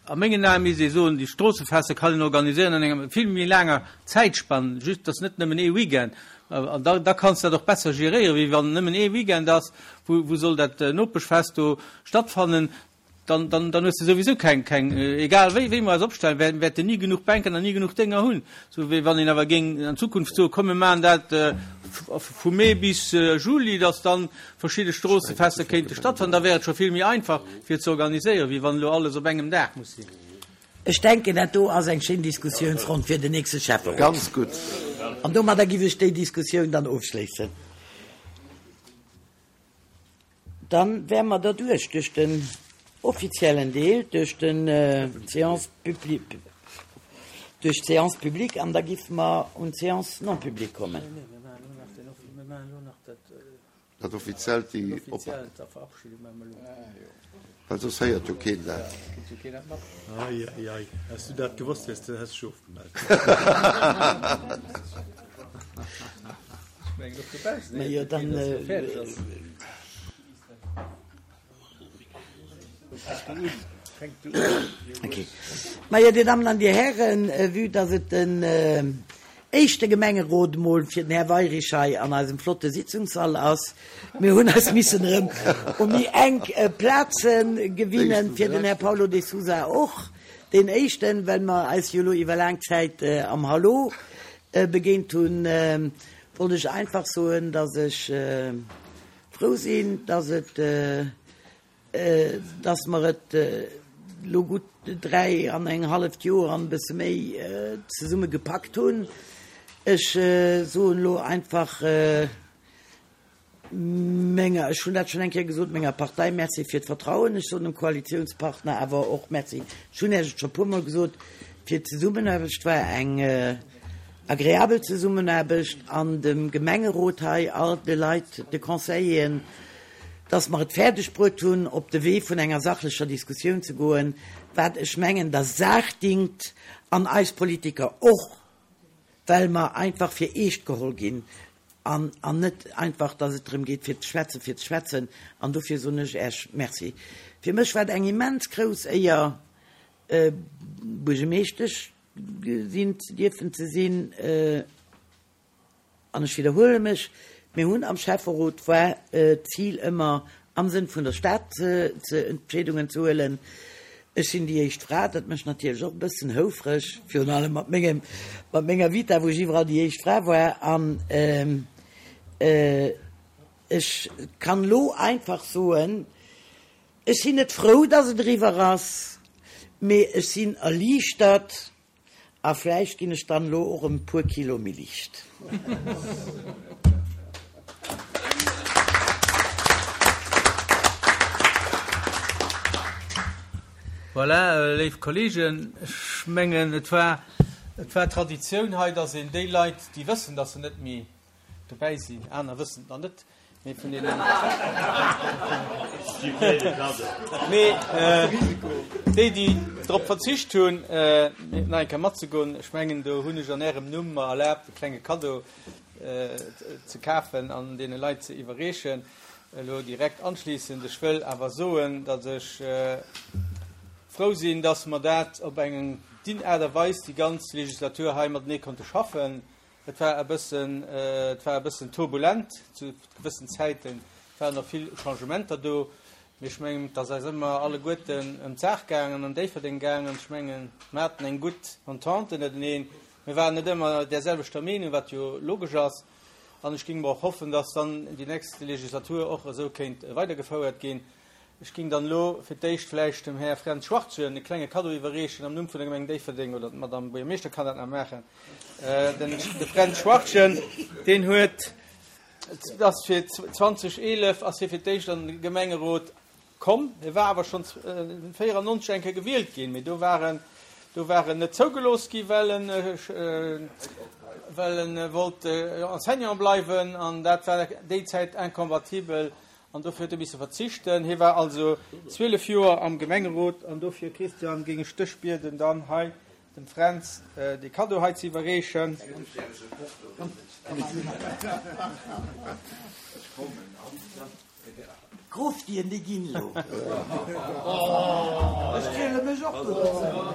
a mengen Ae misst ee soen, déi Stroossefester kann een organiséieren an enger vill méi laanger Zäitspann, just dass net nëmmen ee Weekend, an da, da kanns de dat och besser géréieren, wéi wann nëmmen ee Weekend ass, wou, wou soll dat Nopeschfest do stattfannen. Dann, dann, dann hues de souwisou keng, keng, egal wéi, wéi mer eis opstellen, wäerten, wäerte ni genuch Bänken an ni genuch Dénger hunn. Sou wéi wann een awer géing an Zukunft soen, komm mir maachen dat vu Mee bis Juli, datt dann verschidde Stroossefester kéinte stattfannen, da wär et scho vill méi einfach fir ze organiséieren, wéi wann elo alles op engem Dag muss sinn. Ech denken, dat do ass eng schéin Diskussiounsronn fir den nächste Schäfferot. Ganz gutt. An domadder giff ech déi Diskussioun dann ofschléissen. Dann wäre mer derduerch, duerch den offiziellen Deel, duerch den Séance publique, duerch d'Séance publique, an da giffe mer un d'Séance non publique kommen. Dat Offiziellt, déi ophalen. Well soss héiert jo keen dat. Ei, ei, ei. Häss du dat gewosst, häss de dech ofgemellt. Majo, dann. Okay. Majo, Dir Dammen an Dir Hären, vue dass et den éischte Gemengerot emol fir den Här Weirich hei an eisem flotte Sitzungssall ass, mir hunn eis missen erëm u méi enk Plaze gewinnen, fir den Här Paulo de Sousa och deen éischten, well mer eis jo elo iwwer laang Zäit am Hallo begéint hunn, wollt ech einfach soen, dass ech frou sinn, dass et, dass mer et elo gutt 3 an eng halleft Joer an e bësse méi zesumme gepackt hunn. Ech soen elo einfach menger, ech hunn dat schonn eng Kéier gesot, menger Partei Merci fir d'Vertrauen. Ech soen dem Koalitiounspartner awer och Merci, ech hunn Iech et scho puermol gesot, fir d'Zesummenaarbecht. Et war eng agreabel Zesummenaarbecht an dem Gemengerot hei, all de Leit, de Conseilleren, dass mer et fäerdeg bruet hunn, op de Wee vun enger sachlecher Diskussioun ze goen, wat ech mengen der Saach dingt an eis Politiker och, well mer einfach fir eescht geholl ginn an an net einfach, dass et drëm geet fir ze schwätzen, fir ze schwätzen. An dofir soen ech Äech Merci. Fir mech war et eng immens grouss Éier, Buergermeeschtesch sinn ze dierfen ze sinn. An ech widderhuele mech, Mir hunn am Schäfferot war d'Zil ëmmer. am Sënn vun der Stad ze Entscheedungen ze huelen. Ech sinn déi éischt Fra, dat mécht natierlech och e bëssen houfreg, virun allem mat mengem, mat menger Vita, wou ech iwwerall déi éischt Fra war. An ech kann elo einfach soen, ech sinn net frou, dass et eriwwer ass, mee ech sinn erliichtert. A vläicht ginn ech dann elo och e puer Kilo méi liicht. Voilà, léif Kolleegen, ech mengen, et war, et war Traditioun hei, dass een déi Leit, déi wëssen, dass se net méi Dobäi sinn. Aner wëssen et nach net, mee vun deenen. Mee déi, déi drop verzicht hunn, nach eng Kéier matzegoen, ech mengen, do hunn ech an Ärem Numm mer erlaabt, e klenge Kaddo ze kafen an deene Leit ze iwwerreechen, elo direkt anschliissend. Ech wëll awer soen, datt ech frou sinn, datt mer dat op eng dinn Aart a Weis déi ganz Legislatur hei matenee konnte schaffen. Et war e bëssen, et war e bëssen turbulent zu gewëssen Zäiten, et waren och vill Changementer do, mee ech mengen, et ass eis ëmmer alleguerten ëm d'Saach gaangen, ëm Déifferdeng gaangen. Ech mengen, mer haten eng gutt Entente ënnerteneen. Mir waren net ëmmer där selwechter Meenung, wat jo logesch ass. An ech géing mer och hoffen, dass dann déi nächst Legislatur och esou kéint weidergefouert ginn. Ech ging dann elo fir d'éischt vläicht dem Här Fränz Schwachtgen e klenge Kaddo iwwerreechen am Numm vun der Gemeng Déifferdeng, oder d'Madame Buergermeeschter kann dat nach maachen. Den de Fränz Schwachtgen, deen huet, et ass fir 2011 ass hie fir d'éischt an de Gemengerot komm. Hie war awer schonn 94 eng Kéier gewielt ginn, mee do war en, do war en net zougelooss gi well en, well en wollt Enseignant bleiwen an dat war déi Zäit incompatibel An dofir huet e misse verzichten. Hie war also 12 Joer am Gemengerot. An dofir, Christian, géing ech dech bieden, dann hei dem Fränz dee Kaddo hei ze iwwerreechen. D'Grofftien, déi ginn elo. Ech ziele mech och do dozou.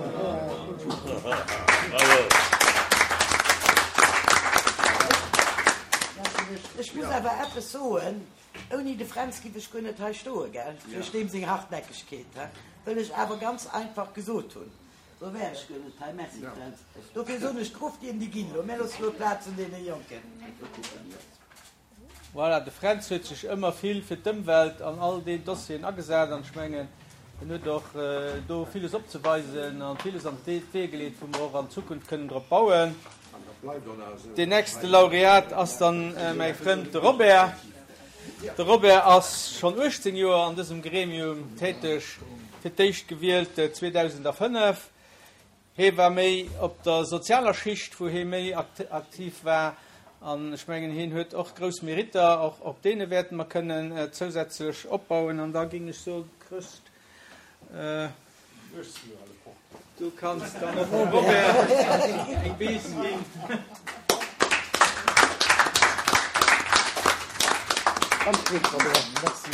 Ech muss awer eppes soen. Ouni de Fränz giff ech guer net hei stoen, gell? Duerch deem seng Hartnäckegkeet, he? Wëll ech awer ganz einfach gesot hunn, sou wär ech guer net hei. Merci, Fränz. Dofir soen ech, d'Grufftien, déi ginn elo. Mär loosse elo d'Plaz un deene Jonken. Voilà, de Fränz huet sech ëmmer vill fir d'Ëmwelt an all déi Dossieren agesat an ech mengen, en huet och do villes opzeweisen a villes an d'Wee geleet, wou mer och an Zukunft kënnen drop bauen. Deen nächste Laureat ass dann mäi Frënd de Robert. De Robert ass schonn 18 Joer an dësem Gremium täteg, fir d'éischt gewielt 2005. Hee war méi op der sozialer Schicht, wou hee méi aktiv war an ech mengen, hien huet och grouss Meritter. Och op deene wäerte mer kënnen zousätzlech opbauen. An da géing ech soen, Chrëscht, Du kanns dann och dem Robert eng Bees ginn. Ganz gutt, Robert, merci.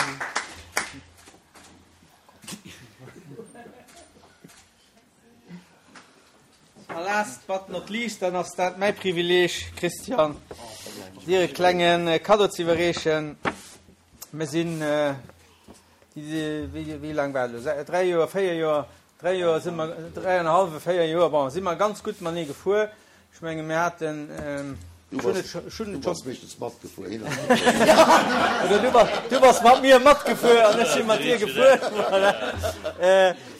A last but not least, dann ass dat mäi Privileeg, Christian, dir e klenge Kaddo ze iwwerreechen. Mir sinn Wéi laang war et elo? Dräi Joer, véier Joer, dräi Joer si mer, dräi an e hallwe, véier Joer, bon, si mer ganz gutt matenee gefuer. Ech menge mir haten, ech hunn et, ech hunn et scho. Du bass meeschtens matgefuer, hien ass net. Oder du bass, du bass mat mir matgefuer an ech si mat dir gefuer, voilà.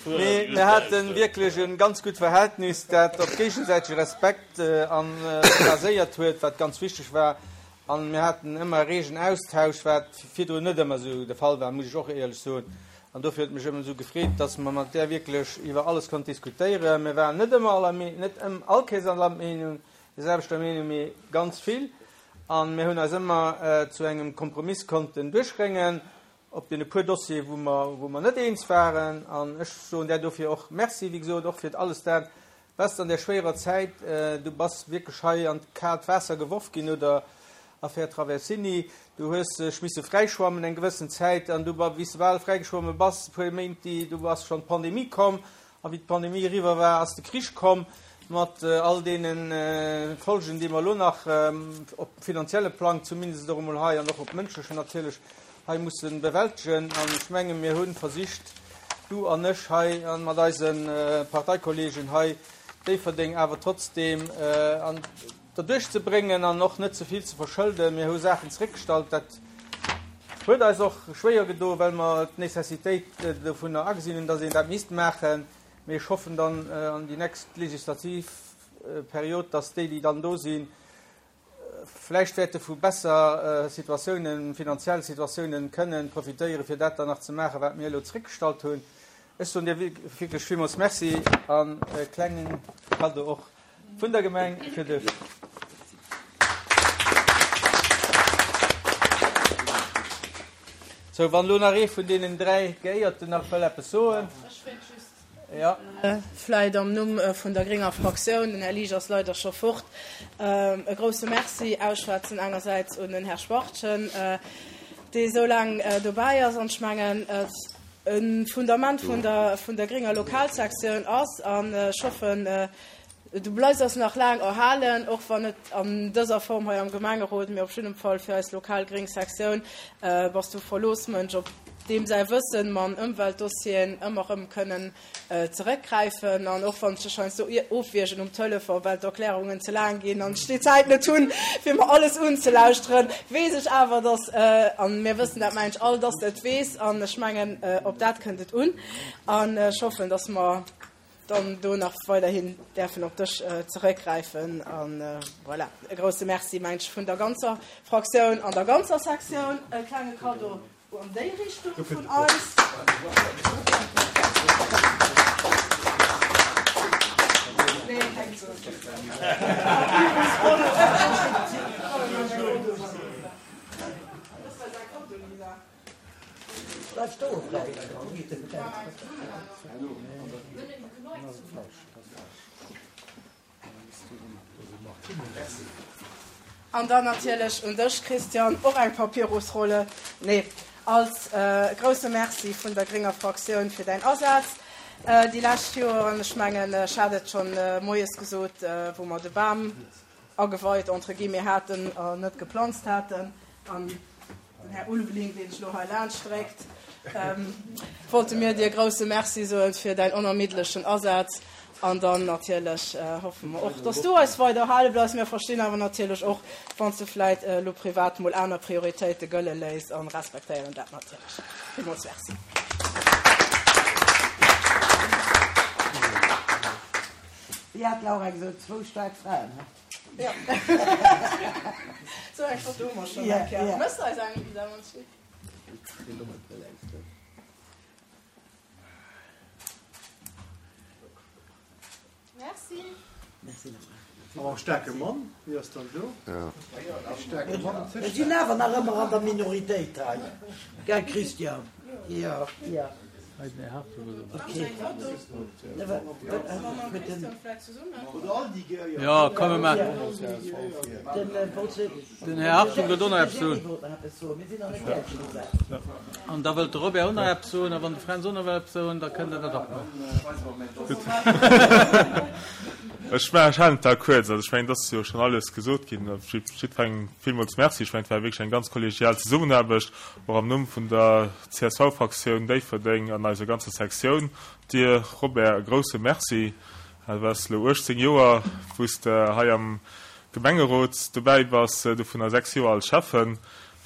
Mee mir hate wierklech e ganz gutt Verhältnis, dat op géigesäitege Respekt an baséiert huet, wat ganz wichteg war. An mir haten ëmmer e reegen Austausch, wat virdrun net ëmmer esou de Fall war, muss ech och éierlech soen. An dofir huet mech ëmmer esou gefreet, dass mer mat där wierklech iwwer alles konnten diskutéieren. Mir waren net ëmmer aller Mee-, net ëm all Kéiers aller Meenung, der selwechter Meenung, mee ganz vill. A mir hunn eis ëmmer zu engem Kompromiss konnten duerchréngen op deene puer Dossiere wou mer, wou mer net eens waren. An ech soen där dofir och Merci, wéi gesot, och fir alles dat, Bass an där schwéierer Zäit, du bass wierklech hei an d'kaalt Waasser geworf ginn no der Affär Traversini. Du hues dech misse fräischwammen eng gewëssen Zäit an du, wéi s de bal fräigeschwomme bass, e puer Méint, déi, du ass schonn d'Pandemie komm a wéi d'Pandemie eriwwer war, ass de Krich komm mat all deene Folgen, déi mer elo nach op finanzielle Plang zumindest och emol hei an och op mënschlechen natierlech. hei musse bewältegen. An ech menge mir hu versicht, du an ech hei a mat eise Parteikollegen hei Déifferdeng awer trotzdeem an derduerch ze bréngen an och net ze vill ze verschëlden. Mir hu Saachen zeréckgestallt. Dat huet eis och schwéier gedo, well mer d'Nécessitéit dovunner agesinn hunn, dass een dat misst maachen. Mee ech hoffen dann an déi nächst legislativ Period, dass déi, déi dann do sinn, vläicht wäerte vu besser Situatiounen, finanziell Situatiounen kënnen profitéieren, fir dat dann nach ze maachen, wat mir elo zeréckgestallt hunn. Ech soen dir wierklech villmools Merci an e klengen Cadeau och vun der Gemeng fir dech. Sou, wann elo nach ee vun deenen 3 Geéierten nach wëll eppes soen. Ech wéilt just vläit am Numm vun der grénger Fraktioun, den Här Liesch ass leider scho fort, e grouse Merci ausschwätzen, engersäits un den Här Schwachtgen, dee esou laang dobäi ass an ech mengen et e Fundament vun der vun der grénger Lokalsektioun ass an ech hoffen, Du bleifs eis nach laang erhalen, och wann net an dëser Form hei am Gemengerot, mee op jiddem Fall fir eis lokal gréng Sektioun bass du Verloossmënsch, op deem säi Wëssen mer an Ëmweltdossieren ëmmer erëm kënnen zeréckgräifen. An och wann ech dech heiansdo ofwiergen um Telefon, well d'Erklärungen ze laang ginn an ech déi Zäit net hunn, fir mer alles unzelauschteren, weess ech awer, dass, an mir wëssen dat mengen ech all, dass de et weess an ech mengen, op dat kënnt et un. An ech hoffen, dass mer dann do nach weiderhin däerfen op dech zeréckgräifen. A voilà, e grouse Merci, meng ech, vun der ganzer Fraktioun an der ganzer Sektioun. E klenge Cadeau an déi Richtung vun eis. Nee, keng Suerg. An dann natierlech un dech, Christian, och eng Papyrusrolle, nee, als grousse Merci vun der grénger Fraktioun fir däin Asaz déi lescht Joren. Ech mengen, ech hat et schonn moies gesot, wou mer de Bam ageweit, entre guillemets, haten an net geplanzt haten, an den Här Ulveling, deen sech elo hei laanscht dréckt, wollte mir dir e grouse Merci soen fir däin onermiddlechen Asaz. An dann natierlech hoffe mer och, dass du eis weider erhale bleifs. Mir verstinn awer natierlech och, wann s de vläit elo privat mol aner Prioritéite gëlle léiss a respektéieren dat natierlech. Villmools Merci. Wéi hat d'Laura gesot, zwou staark Fraen, he? Jo. Sou eng Foto hu mer schonn eng Kéier. Mëss eis eng, Lisa, wann s du. Merci. Merci, Laura. A mam staarke Mann, wéi ass dann do? Staarke Mann. Mir sinn awer nach ëmmer an der Minoritéit hei, gell Christian? Jo, jo. Jo, komm mir maachen. Den Här Hartung wëllt och nach eppes soen. An da wëllt de Robert och nach eppes soen. A wann de Fränz och nach wëll eppes soen, da kënnt Der dat och maachen. Ech maachen, ech halen et da kuerz. Also ech mengen, et ass jo schonn alles gesot ginn. Jiddwerengem villmools Merci. Ech mengen, et war wierklech eng ganz kollegial Zesummenaarbecht, och am Numm vun der CSV-Fraktioun Déifferdeng an eiser ganzer Sektioun. Dir, Robert, e grousse Merci. Du waars elo 18 Joer, wou s de hei am Gemengerot dobäi bass, dovunner 6 Joer als Schäffen,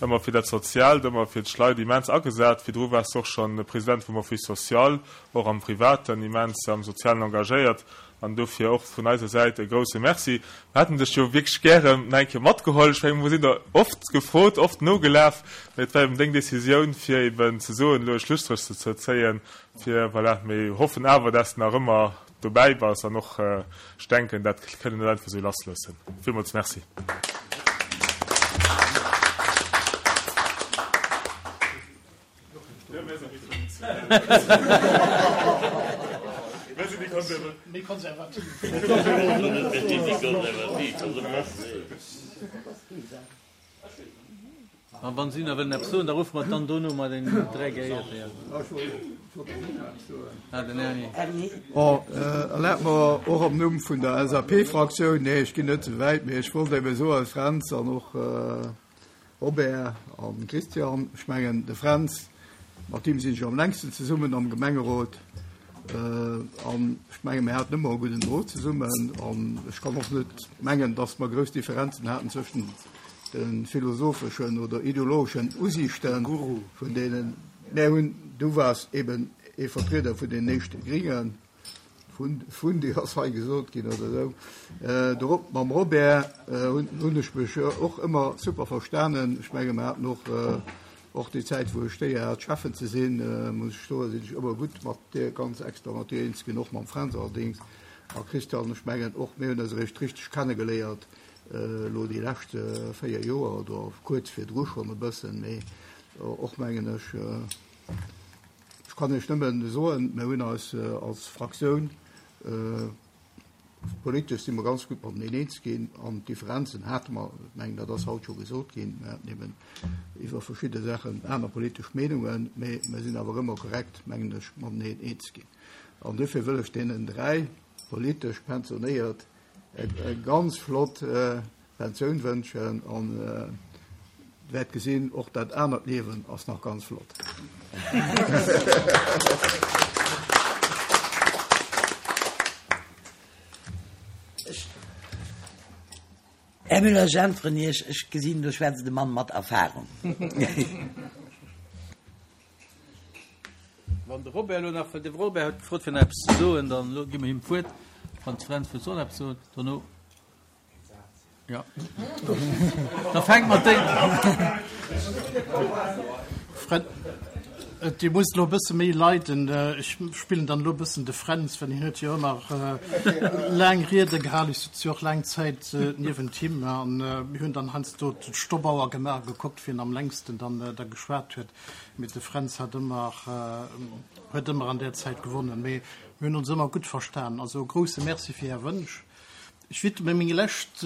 ëmmer fir dat Soziaalt, ëmmer fir d'Leit immens agesat. Virdru waars de och schonn President vum Office social, och am Privaten immens am Sozialen engagéiert. An dofir och vun eiser Säit e grouse Merci. Mir hätten dech jo wierklech gären nach eng Kéier matgeholl. Ech mengen, mir sinn der oft gefrot, oft nogelaf, mee et war eben deng Decisioun, fir eben ze soen, elo e Schlusstréch ze zéien, fir, voilà. Mir hoffen awer, dass de nach ëmmer dobäi bass an och, ech denken, dat kënnen net einfach esou lassloossen. Villmools Merci. A wann si nach wëllen eppes soen, da ruffe mer dann dono mat den 3 Geéierten. Ah, den Erni. Bon, erlaabt mer och am Numm vun der LSAP-Fraktioun, nee, ech ginn net esou wäit, mee ech wollt ebe soen, Fränz an och. Robert a Christian. Ech mengen, de Fränz, mat him sinn ech am längsten zesummen am Gemengerot. An ech menge mir haten ëmmer e gudden Drot zesummen. An ech kann och net mengen, datt mer grouss Differenzen haten zwëschent de philosopheschen oder ideologeschen Usiichte vun deenen mir hunn. Du waars eben ee Vertrieder vun den éischte Gringen. Vun déi ass hei gesot ginn oder esou. Dorop mam Robert hunn ech mech och ëmmer super verstanen. Ech menge mer haten och och déi Zäit wou ech d'Éier hat Schäffen ze sinn, muss ech soen, sinn ech ëmmer gutt mat dir ganz extra mat dir eens ginn, och mam Fränz allerdéngs. A Christian, ech mengen och mir hunn eis eréischt richteg kennegeléiert elo déi lescht 4 Joer oder kuerz virdru schonn e bëssen, mee och mengen ech, Ech kann Iech nëmmen soen, mir hunn eis als Fraktioun, politesch si mer ganz gutt mateneen eens ginn an d'Differenzen hate mer, ech mengen dat ass haut scho gesot ginn, mir haten eben iwwer verschidde Saachen aner politesch Meenungen, mee mir sinn awer ëmmer korrekt, mengen ech, mateneen eens ginn. An duerfir wëll ech deenen 3 politesch Pensionéiert eng ganz flott Pensioun wënschen an wäert gesinn, och dat anert Liewen ass nach ganz flott. Här Müller, ech äntweren Iech, ech gesinn, do schwätzt e Mann mat Erfahrung. Wann de Robert elo nach, well de Robert huet gefrot fir nach eppes ze soen, dann elo gi mer him d'Wuert, wann d'Fränz wëllt och nach eppes soen dono. Jo. Da fänke mat deng. Fred, Dir musst elo e bësse méi leiden. Ech spillen dann elo e bëssen de Fränz, well hien huet jo ëmmer laang Riede gehal. Ech sutz jo och laang Zäit niewent him an mir hunn dann heiansdo d'Stoppauer gemaach a gekuckt, wien am längsten dann da geschwat huet. Mee de Fränz hat ëmmer, huet ëmmer an där Zäit gewonnen. Mee mir hunn ons ëmmer gutt verstan. Also e grouse Merci fir Är Wënsch. Ech widme meng lescht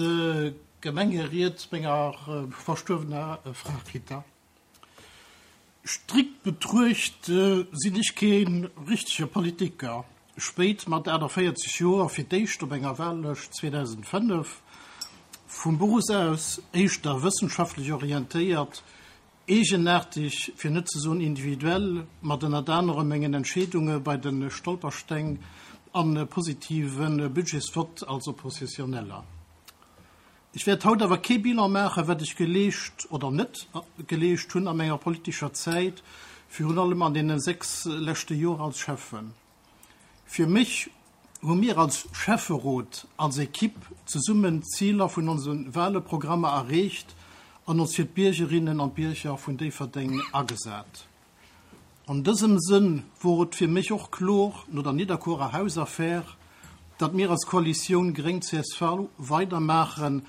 Gemengeried menger verstuerwener Fra Rita. Strikt betruecht sinn ech kee richtege Politiker. Spéit, mat 48 Joer, fir d'éischt op enger Wahllëscht 2005, vum Berufs aus éischter wëssenschaftlech orientéiert, Eegenaarteg, fir net ze soen individuell, mat ënnert anerem mengen Entscheedunge bei de Stolpersteng an positive Budgetsvott als Oppositioneller. Ech wäert haut awer kee Bilan maachen, wat ech geleescht oder net geleescht hunn a menger politescher Zäit, virun allem an deene 6 leschte Joer als Schäffen. Fir mech hu mir als Schäfferot, als Equipe zesummen d'Ziler vun onse Waleprogrammer erreecht an ons fir d'Biergerinnen an d'Bierger vun Déifferdeng agesat. An dësem Sënn wor et fir mech och klor no der Nidderkuerer Hausaffär, datt mir als Koalitioun Gréng-CSV weidermaachen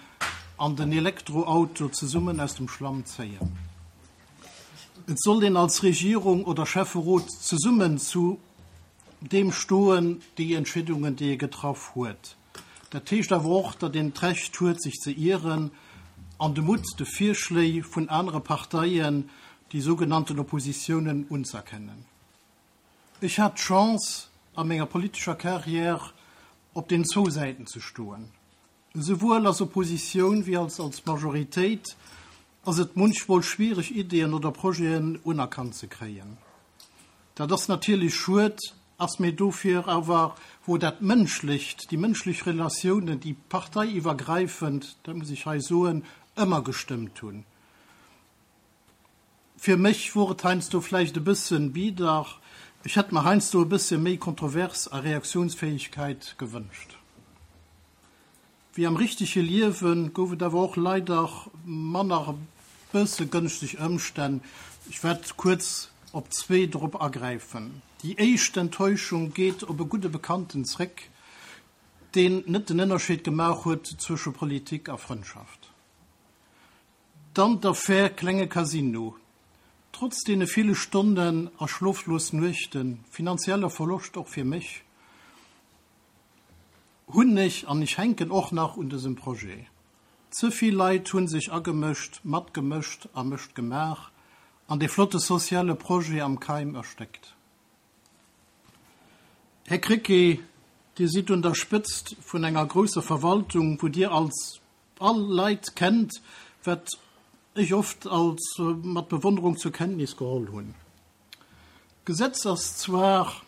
an den Elektroauto zesummen aus dem Schlamm zéien. Et sollt een als Regierung oder Schäfferot zesummen zu deem stoen, déi Entscheedungen, déi ee getraff huet. Dat heescht awer och, datt een d'Recht huet, sech ze ieren an de Mutt, de Virschléi vun anere Parteien, déi sougenannten Oppositiounen, unz'erkennen. Ech hat d'Chance, a menger politescher Carrière op den zwou Säiten ze stoen. Esouwuel als Oppositioun wéi als als Majoritéit ass et munchmol schwiereg Ideeën oder Projeten unerkannt ze kréien. Dat ass natierlech schued, ass mee dofir awer wou dat Mënschlecht, déi mënschlech Relatiounen, déi parteiiwwergräifend, dat muss ech hei soen, ëmmer gestëmmt hunn. Fir mech wor et heiansdo vläicht e bëssen bieder, ech hätt mer heiansdo e bësse méi Kontrovers a Reaktiounsfähigkeit gewënscht. Wéi am richtege Liewe gouf et awer och leider manner e bësse gënschteg Ëmstänn. Ech wäert kuerz op zwee drop agräifen. Déi éischt Enttäuschung geet op e gudde Bekannten zréck, deen net den Ënnerscheed gemaach huet zwësche Politik a Frëndschaft. Dann d'Affär klenge Casino. Trotz deene ville Stonnen a schloflos Nuechten, finanzieller Verloscht och fir mech, hunn ech an ech hänken och nach un dësem Projet. Ze vill Leit hunn sech agemëscht, matgemëscht a Mëscht gemaach an dee flotte soziale Projet am Keim erstéckt. Här Krecké, Dir sidd un der Spëtzt vun enger grousser Verwaltung, wou Dir als all Leit kennt, wat. ech oft als mat Bewonnerung zur Kenntnis geholl hunn. D'Gesetz ass zwar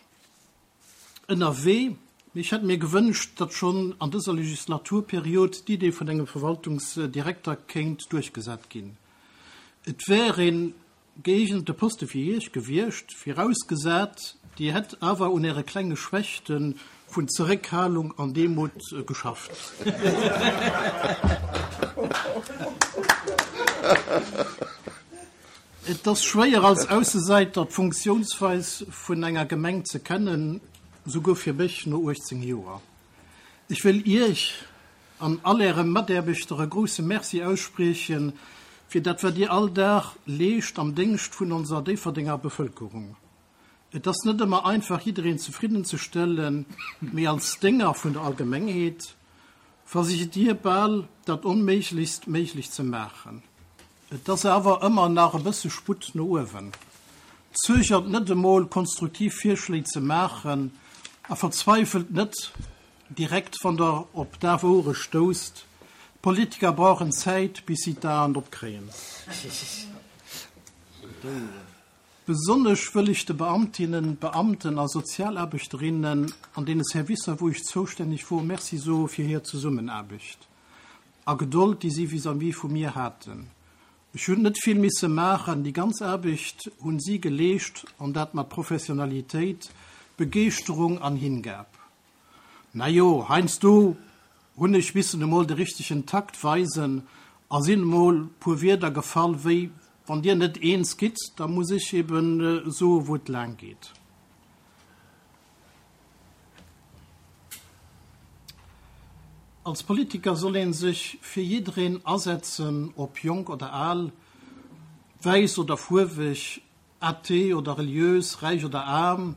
ënnerwee, mee ech hätt mir gewënscht, datt schonn an dëser Legislaturperiod d'Idee vun engem Verwaltungsdirekter kéint duerchgesat ginn. Et wär e gëeegente Poste fir Iech gewiescht, virausgesat, Dir hätt awer un Äre klenge Schwächte vun Zeréckhalung an Demut geschafft. Et ass schwéier als Aussesäiter d'Funktiounsweis vun enger Gemeng ze kennen, souguer fir mech no 18 Joer. Ech wëll Iech an all Äre Mataarbechter e grousse Merci ausspriechen fir dat wat Dir all Dag leescht am Déngscht vun onser Déifferdenger Bevëlkerung. Et ass net ëmmer einfach jiddereen zefridden ze stellen, mee als Dénger vun der Allgemengheet versicht Dir bal dat Onméiglechst méiglech ze maachen. Et ass awer ëmmer nach e bësse Sputt no uewen. Zögert net emol konstruktiv Virschléi ze maachen a verzweifelt net direkt wann der op daf Ouere stousst. Politiker brauchen Zäit bis si d'Aen opkréien. Besonnesch wëll ech de Beamtinnen, Beamten a Sozialaarbechterinnen an deene Servicer wou ech zoustänneg wor Merci soe fir hir Zesummenaarbecht a Gedold déi si vis-à-vis vu mir haten. Ech hunn net vill misse maachen, déi ganz Aarbecht hunn si geleescht an dat mat Professionalitéit, Begeeschterung an Hingab. Na jo, heiansdo hunn ech missen emol de richtegen Takt weisen a sinn emol puer Wierder gefall wéi, Wann dir net eens gitt, da muss ech eben soe wou et laang geet. Als Politiker soll een sech fir jiddereen asetzen, ob jonk oder al, wäiss oder fuerweg, athee oder reliös, räich oder aarm.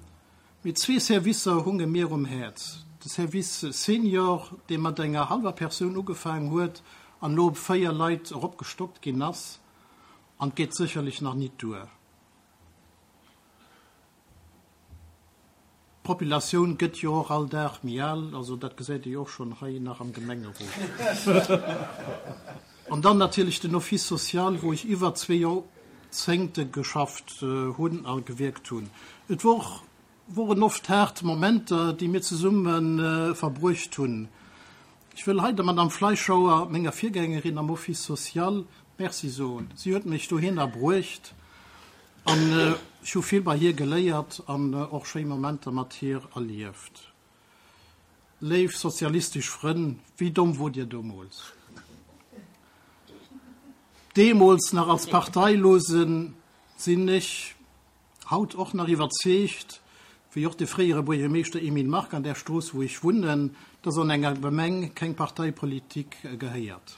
Mee zwee Servicer hunge mir um Häerz, de Service Senior, dee mat enger hallwer Persoun ugefaangen huet an elo op 4 Leit eropgestockt ginn ass, an 't geet sécherlech nach nit duer. D'Populatioun gëtt jo och all Dag méi al, also dat gesäit ee jo och schonn hei nach am Gemengerot. An dann natierlech den Office social, wou ech iwwer zwee Jorzéngte geschafft hunn a gewierkt hunn. Et wor, woren oft haart Momenter, déi mir zesumme verbruecht hunn. Ech wëll hei der Madame Fleischhauer, menger Virgängerin am Office social, Merci soen. Si huet mech dohinner bruecht an ech hu vill bei hir geléiert an och schéi Momenter mat hir erlieft. Léif sozialistesch Frënn, wéi domm wor Dir domools? Deemools nach als Parteilose sinn ech haut och nach iwwerzeegt, wéi och de fréiere Buergermeeschter Emile Mark an där Strooss wou ech wunnen, dass an enger Gemeng keng Parteipolitik gehéiert.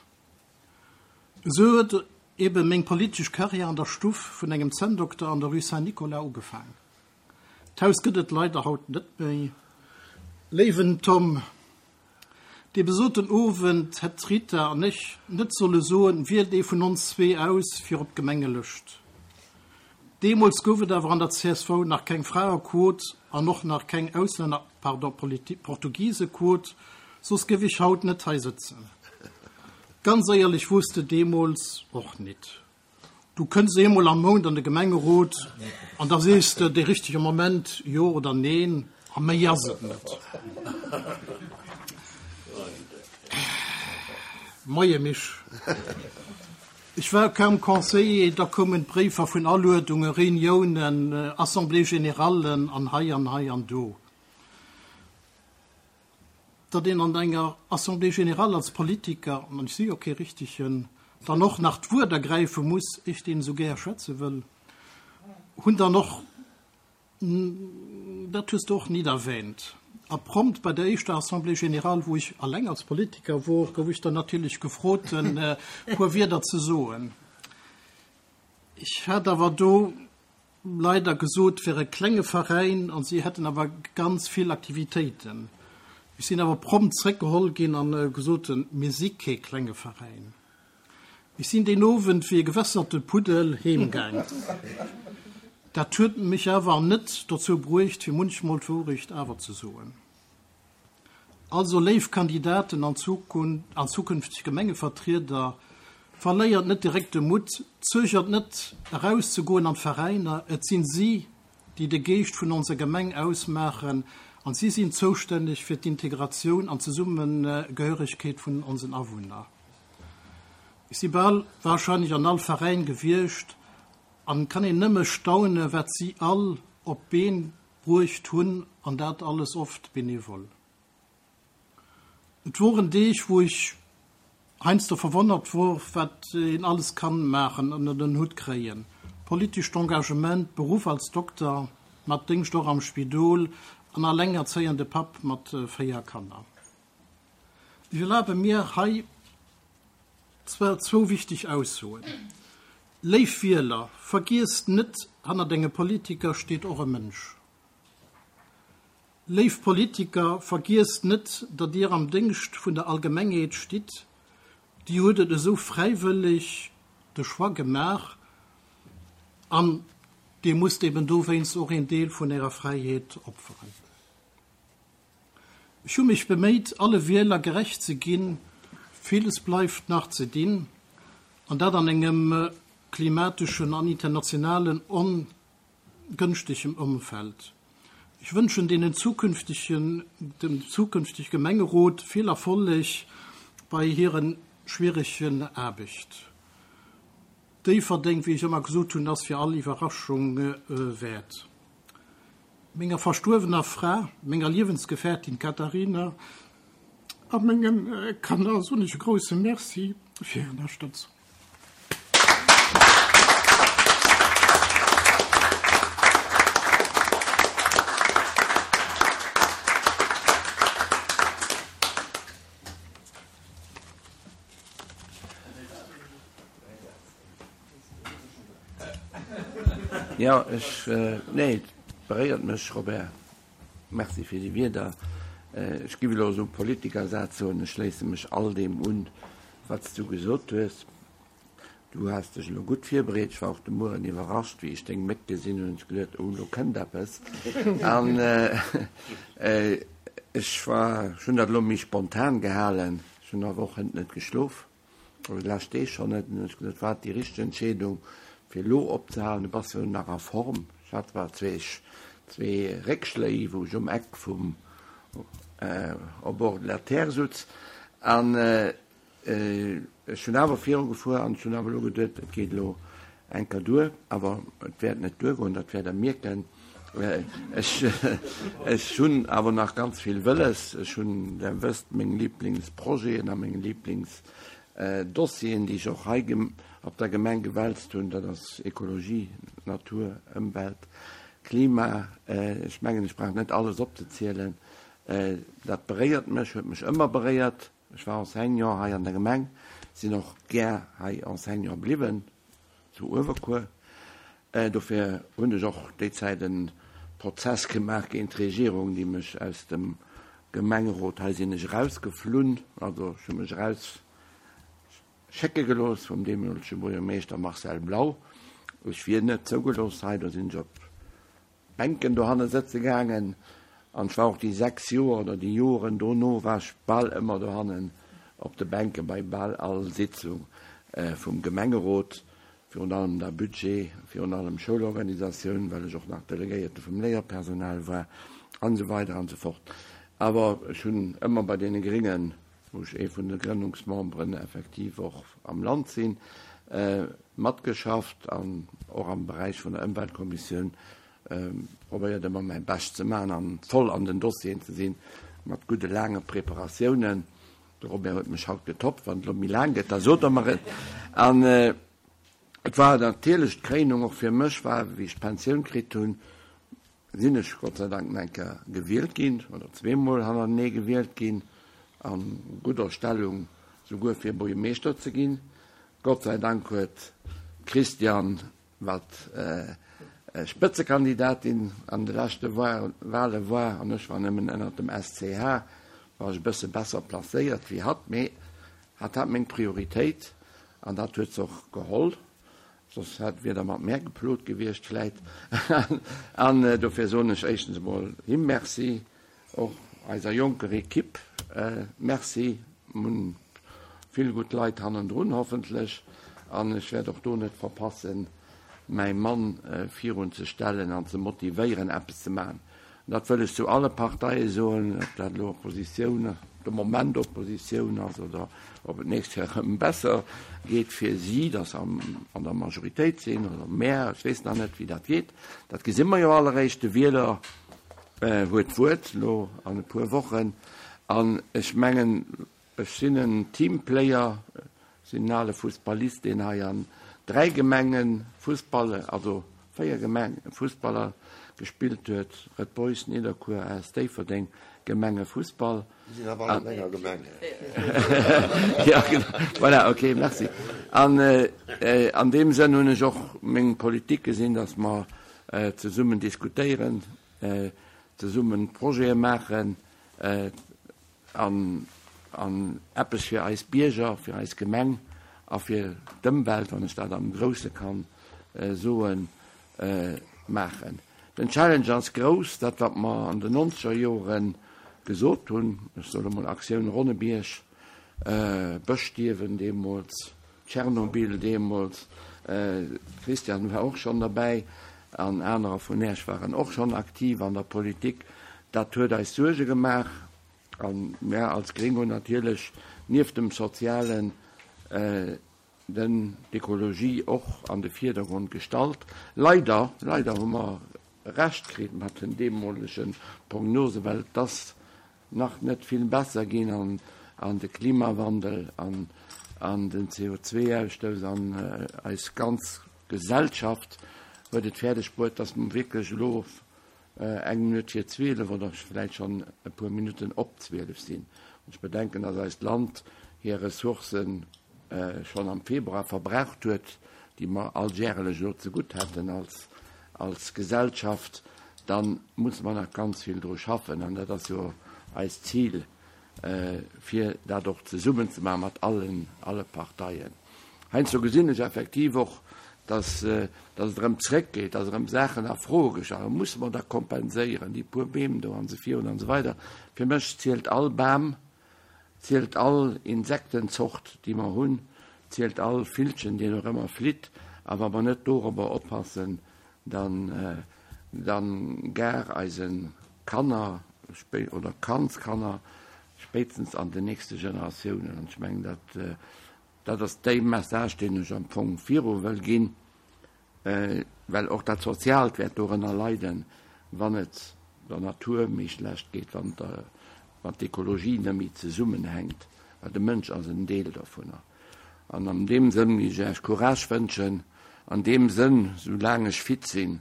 Esou huet ebe meng politesch Karriär an der Stuff vun engem Zänndokter an der Rue Saint-Nicolas ugefaang. D'Haus gëtt et leider haut net méi. Léiwen Tom, dee besoten Owend hätt d'Rita an ech net solle soen, wielt ee vun ons zwee aus fir op d'Gemengelëscht. Deemools gouf et awer an der csv nach keng Fraequot an och nach keng Auslänner, pardon, Portugisequot, soss géif ech haut net hei sëtzen. Ganz éierlech wusst de deemools och nit. Du kënns eemol am Mount an de Gemengerot an da sees de dee richtege Moment Jo oder Neen a méi ass et net. Moie Misch. Ech war kaum Conseiller, da koumen d'Bréifer vun Aluedungen, Reuniounen, Assemblées générallen an hei an hei an do. Datt een an enger Assemblée générale als Politiker, an ech si jo kee richtegen, dann och nach d'Wuert ergräife muss, ech deen esou gär schwätze wëll, hunn dann och, dat hues de och nit erwähnt. A prompt bei der éischter Assemblée générale, wou ech alleng als Politiker wor, gouf ech dann natierlech gefrot, e puer Wierder ze soen. Ech hat awer do leider gesot, wär e klenge Veräin an si hätten awer ganz vill Aktivitéiten. Ech sinn awer prompt zréckgeholl ginn an gesot, mir si kee klenge Veräin. Ech sinn deen Owend wéi e gewässerte Puddel heem gaang. Dat huet mech awer net dozou bruecht, fir munchmol d'Wourecht awer ze soen. Also, léif Kandidaten an zukünfteg Gemengevertrieder, Verléiert net direkt de Mutt, zögert net erauszegoen an d'Veräiner, et sinn si, déi de Geescht vun onser Gemeng ausmaachen an si sinn zoustänneg fir d'Integratioun an d'Zesummegehöregkeet vun onsen Awunner. Ech si bal wahrscheinlech an all Veräin gewiescht an kann een nëmme staune wat si all op d'Been bruecht hunn an dat alles oft bénévol. Et woren Deeg, wou ech heiansdo verwonnert wor, wat een alles kann maachen, ënner den Hutt kréien. Politescht Engagement, Beruff als Dokter, mat Déngscht och am Spidol an allengerzéiende Papp mat 4 Kanner. Ech erlabe mir hei zwar zwou wichteg Aussoen. Léif Wieler, vergiesst net, hannert engem Politiker steet och e Mënsch. Léif Politiker, vergiesst net, datt Dir am Déngscht vun der Allgemengheet stitt. Dir huet et esou fräiwëlleg de Choix gemaach an Dir musst eben dowéinst och een Deel vun Ärer Fräiheet opferen. Ech hu mech beméit, alle Wieler gerecht ze ginn. Villes bleift nach ze dinn, an dat an engem klimateschen an internationalen on. Gënschtegem Ëmfeld. Ech wënschen deenen zukünftegen, dem zukünftege Gemengerot vill Erfolleg bei hiren schwieregen Aarbecht. Déifferdeng, wéi ech ëmmer gesot hunn, ass fir all Iwwerraschung wäert. Menger verstuerwener Fra, menger Liewensgefährtin Katharina a menge Kanner soen ech e grousse Merci fir hir Ënnerstëtzung. Jo, ech, nee, et beréiert mech, Robert. Merci fir déi Wierder. Ech giff elo esou Politikersaz soen, ech schléisse mech all deem un, wat s du gesot hues. Du has dech elo gutt virbereet. Ech war och de Mueren iwwerrascht, wéi ech deng Méck gesinn hunn, hunn ech geduet, oh, elo kënnt eppes. An ech war, ech hunn dat elo méi spontan gehalen. Ech hunn awer och hënt net geschlof. Déi lescht Deeg schonn net. Hunn ech gesot, war et déi richteg Entscheedung, fir elo opzehalen? Du bass jo nach a Form. Ech hat zwar zwee Réckschléi, wou ech um Eck vum au bord de la terre sutz. An ech hunn awer virugefuer an ech hunn awer elo geduet, et geet elo eng Kéier duer. Awer et wäert net duergoen, dat wäert Der mierken. Ech ech hunn awer nach ganz vill wëlles. Ech hunn, Der wësst, meng Liblingsprojeten a meng Lieblingsdossieren, déi ech och hei op der Gemeng gewälzt hunn, dat ass Ekologie, Natur, Ëmwelt, Klima. Ech mengen, ech brauch net alles opzezielen. Dat beréiert mech, huet mech ëmmer beréiert. Ech war Enseignant hei an der Gemeng, sinn och gär hei Enseignant bliwwen zu Uewerkuer. Dofir hunn ech och déi Zäit e Prozess gemaach géint d'Regierung, déi mech aus dem Gemengerot, hei sinn ech erausgeflunn, also ech hu mech erausschécke gelooss vum deemolege Buergermeeschter Marcel Blau. Ech wier net zougelooss hei, do sinn ech op Bänken dohanne sëtze gaangen an ech war och déi 6 Joer oder déi Joren dono war ech bal ëmmer dohannen op de Bänke bei bal all Sitzung vum Gemengerot, virun allem der Budget, virun allem Schoulorganisatioun, well ech och nach Delegéierte vum Léierpersonal war an esou weider an esou fort. Awer ech hunn ëmmer bei deene Gréngen, wou ech ee vun de Grënnungsmemberen effektiv och am Land sinn, matgeschafft an och am Beräich vun der Ëmweltkommissioun probéiert ëmmer mäi Bescht ze maachen an voll an den Dossieren ze sinn, mat gudde laange Preparatiounen. De Robert huet mech haut getoppt, wann et elo méi laang gëtt, da sot Der mer et. An et war natierlech d'Kréinung och fir mech war, wéi ech d'Pensioun kritt hunn, sinn ech Gott sei Dank nach eng Kéier gewielt ginn, oder zweemol hannertenee gewielt ginn, a gudder Stellung souguer fir Buergermeeschter ze ginn. Gott sei Dank huet d'Christiane, wat Spëtzekandidatin an de leschte Wale war, an ech war nëmmen ënnert dem SCH, war ech e bësse besser placéiert wéi hatt, mee hatt hat meng Prioritéit an dat huet se och geholl. Soss hätt, wier Der mat mär geplot gewiescht vläit. An dofir soen ech éischtens emol him Merci, och eiser jonker Equipe Merci. Mir hunn Vill gutt Leit hannendrun hoffentlech an ech wäert och do net verpassen, mäi Mann virun ze stellen an ze motivéieren eppes ze maachen. An dat wëll ech zu alle Parteie soen, ob dat elo Oppositioun, de Moment Oppositioun ass oder ob et d'nächst Joer erëm besser geet fir si, datt se an der Majoritéit sinn oder mär, ech weess nach net wéi dat geet, dat gesi mer jo all eréischt. De Wieler huet d'Wuert elo an e puer Wochen an ech mengen, Ech sinn en Teamplayer, sinn en ale Fussballist, deen hei an 3 Gemenge Fussball, also 4 Gemenge Fussballer gespillt huet, Red Boys, Nidderkuer, AS Déifferdeng, Gemengefussball. Déi sinn awer all an enger Gemeng. Jo, genau. Voilà, ok, merci. An an deem Sënn hunn ech och meng Politik gesinn, datt mer zesummen diskutéieren, zesummen Projete maachen, An an eppes fir eis Bierger, fir eis Gemeng a fir d'Ëmwelt, wann ech dat am Grousse kann soen, maachen. Den Challenge ass grouss. Dat, wat mer an den nonzeger Jore gesot hunn, ech soe mol Aktioun Ronnebierg, Bëschstierwen deemools, Tschernobyl deemools, Christian war och schonn derbäi an anerer vun Äech waren och schonn aktiv an der Politik, dat huet eis Suerge gemaach. A mär als Gréng hunn natierlech nieft dem Sozialen den d'Ekologie och an de Vierdergrond gestallt. Leider, leider hu mer Recht kritt mat den deemolege Prognosen, well et ass nach net vill besser ginn an an de Klimawandel an an den CO2-Ausstouss an eis ganz Gesellschaft huet et fäerdeg bruet, dass mer wierklech elo eng Minutt vir 12 oder vläicht schonn e puer Minutten op 12 sinn. Wann ech bedenken, dass eist Land hir Ressourcen schonn am Februar verbraucht huet, déi mer alljärelech elo zegutt hätten als, als Gesellschaft, da musse mer nach ganz vill dru schaffen. An dat ass jo eist Zil, fir dat och zesummen ze maache mat allen, alle Parteien. Heiansdo gesinn ech effektiv och, dass, dass et erëm zréckgeet, dass erëm Saachen a Fro gestallt ginn. Musse mer da kompenséieren, déi puer Beem do an esou virun an esou weider. Fir mech zielt all Bam, zielt all Insektenzort, déi mer hunn, zielt all Villchen, deen och ëmmer flitt. A wa mer net dorobber oppassen, dann, dann gar eise Kanner oder Kandskanner, spéitstens an den nächste Generatiounen. An ech mengen, dat, dat ass dee Message, deen ech am Fong viru wëll ginn, well och dat Soziaalt wäert dorënner leiden, wann et der Natur méi schlecht geet, wann der, wann d'Ekologie net méi zesummenhänkt, well de Mënsch ass en Deel dovunner. An an deem Sënn géif ech Iech Courage wënschen. An deem Sënn, soulaang ech fit sinn,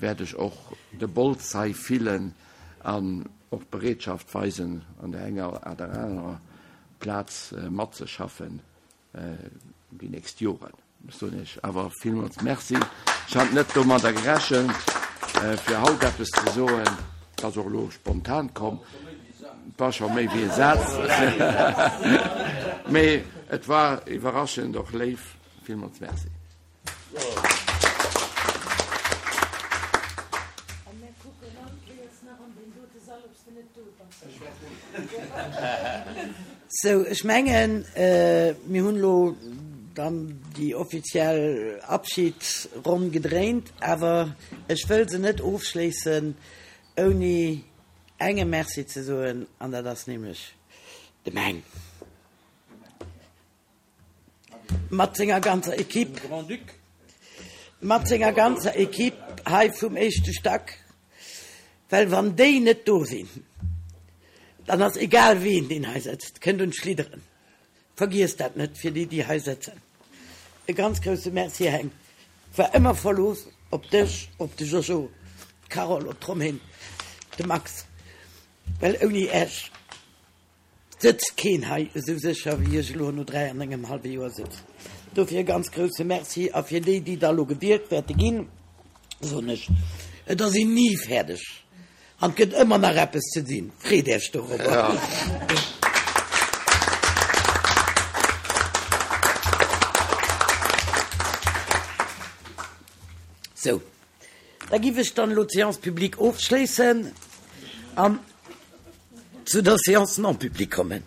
wäert ech och de Bols hei fillen an och Bereetschaft weisen, an der enger oder anerer Plaz matzeschaffen déi nächst Joren. Ech soen Iech awer villmools Merci. Ech hat net domadder gerechent, fir haut eppes ze soen. Et ass och elo spontan komm. Et war scho méi wéi e Saz. Mee et war iwwerraschend och léif. Villmools Merci. Sou, ech mengen, mir hunn elo dann déi offiziell Abschiedsronn gedréint, awer ech wëll se net ofschléissen, ouni engem Merci ze soen, an dat ass nämlech dem Heng. Mat senger ganzer Equipe, mat senger ganzer Equipe hei vum éischte Stack, well wann déi net do sinn, dann ass egal ween deen hei sëtzt, kënnt un d'Schlidderen. Vergiesst dat net, fir déi déi hei sëtzen. E ganz grousse Merci Heng, war ëmmer Verlooss op dech, op de Jojo, d'Carole, op d'Romaine, de Max, well ouni Äech Sëtzt keen hei esou sécher wéi ech elo no 3 an engem hallwe Joer sëtzen. Dofir e ganz grouse Merci. A fir déi, déi da elo gewielt wäerte ginn, soen ech, Et ass een ni fäerdeg an et gëtt ëmmer nach eppes ze dinn. Freet Iech dorobber. Sou. Da giff ech dann elo d'Séance publique ofschléissen an zu der Séance non publique kommen.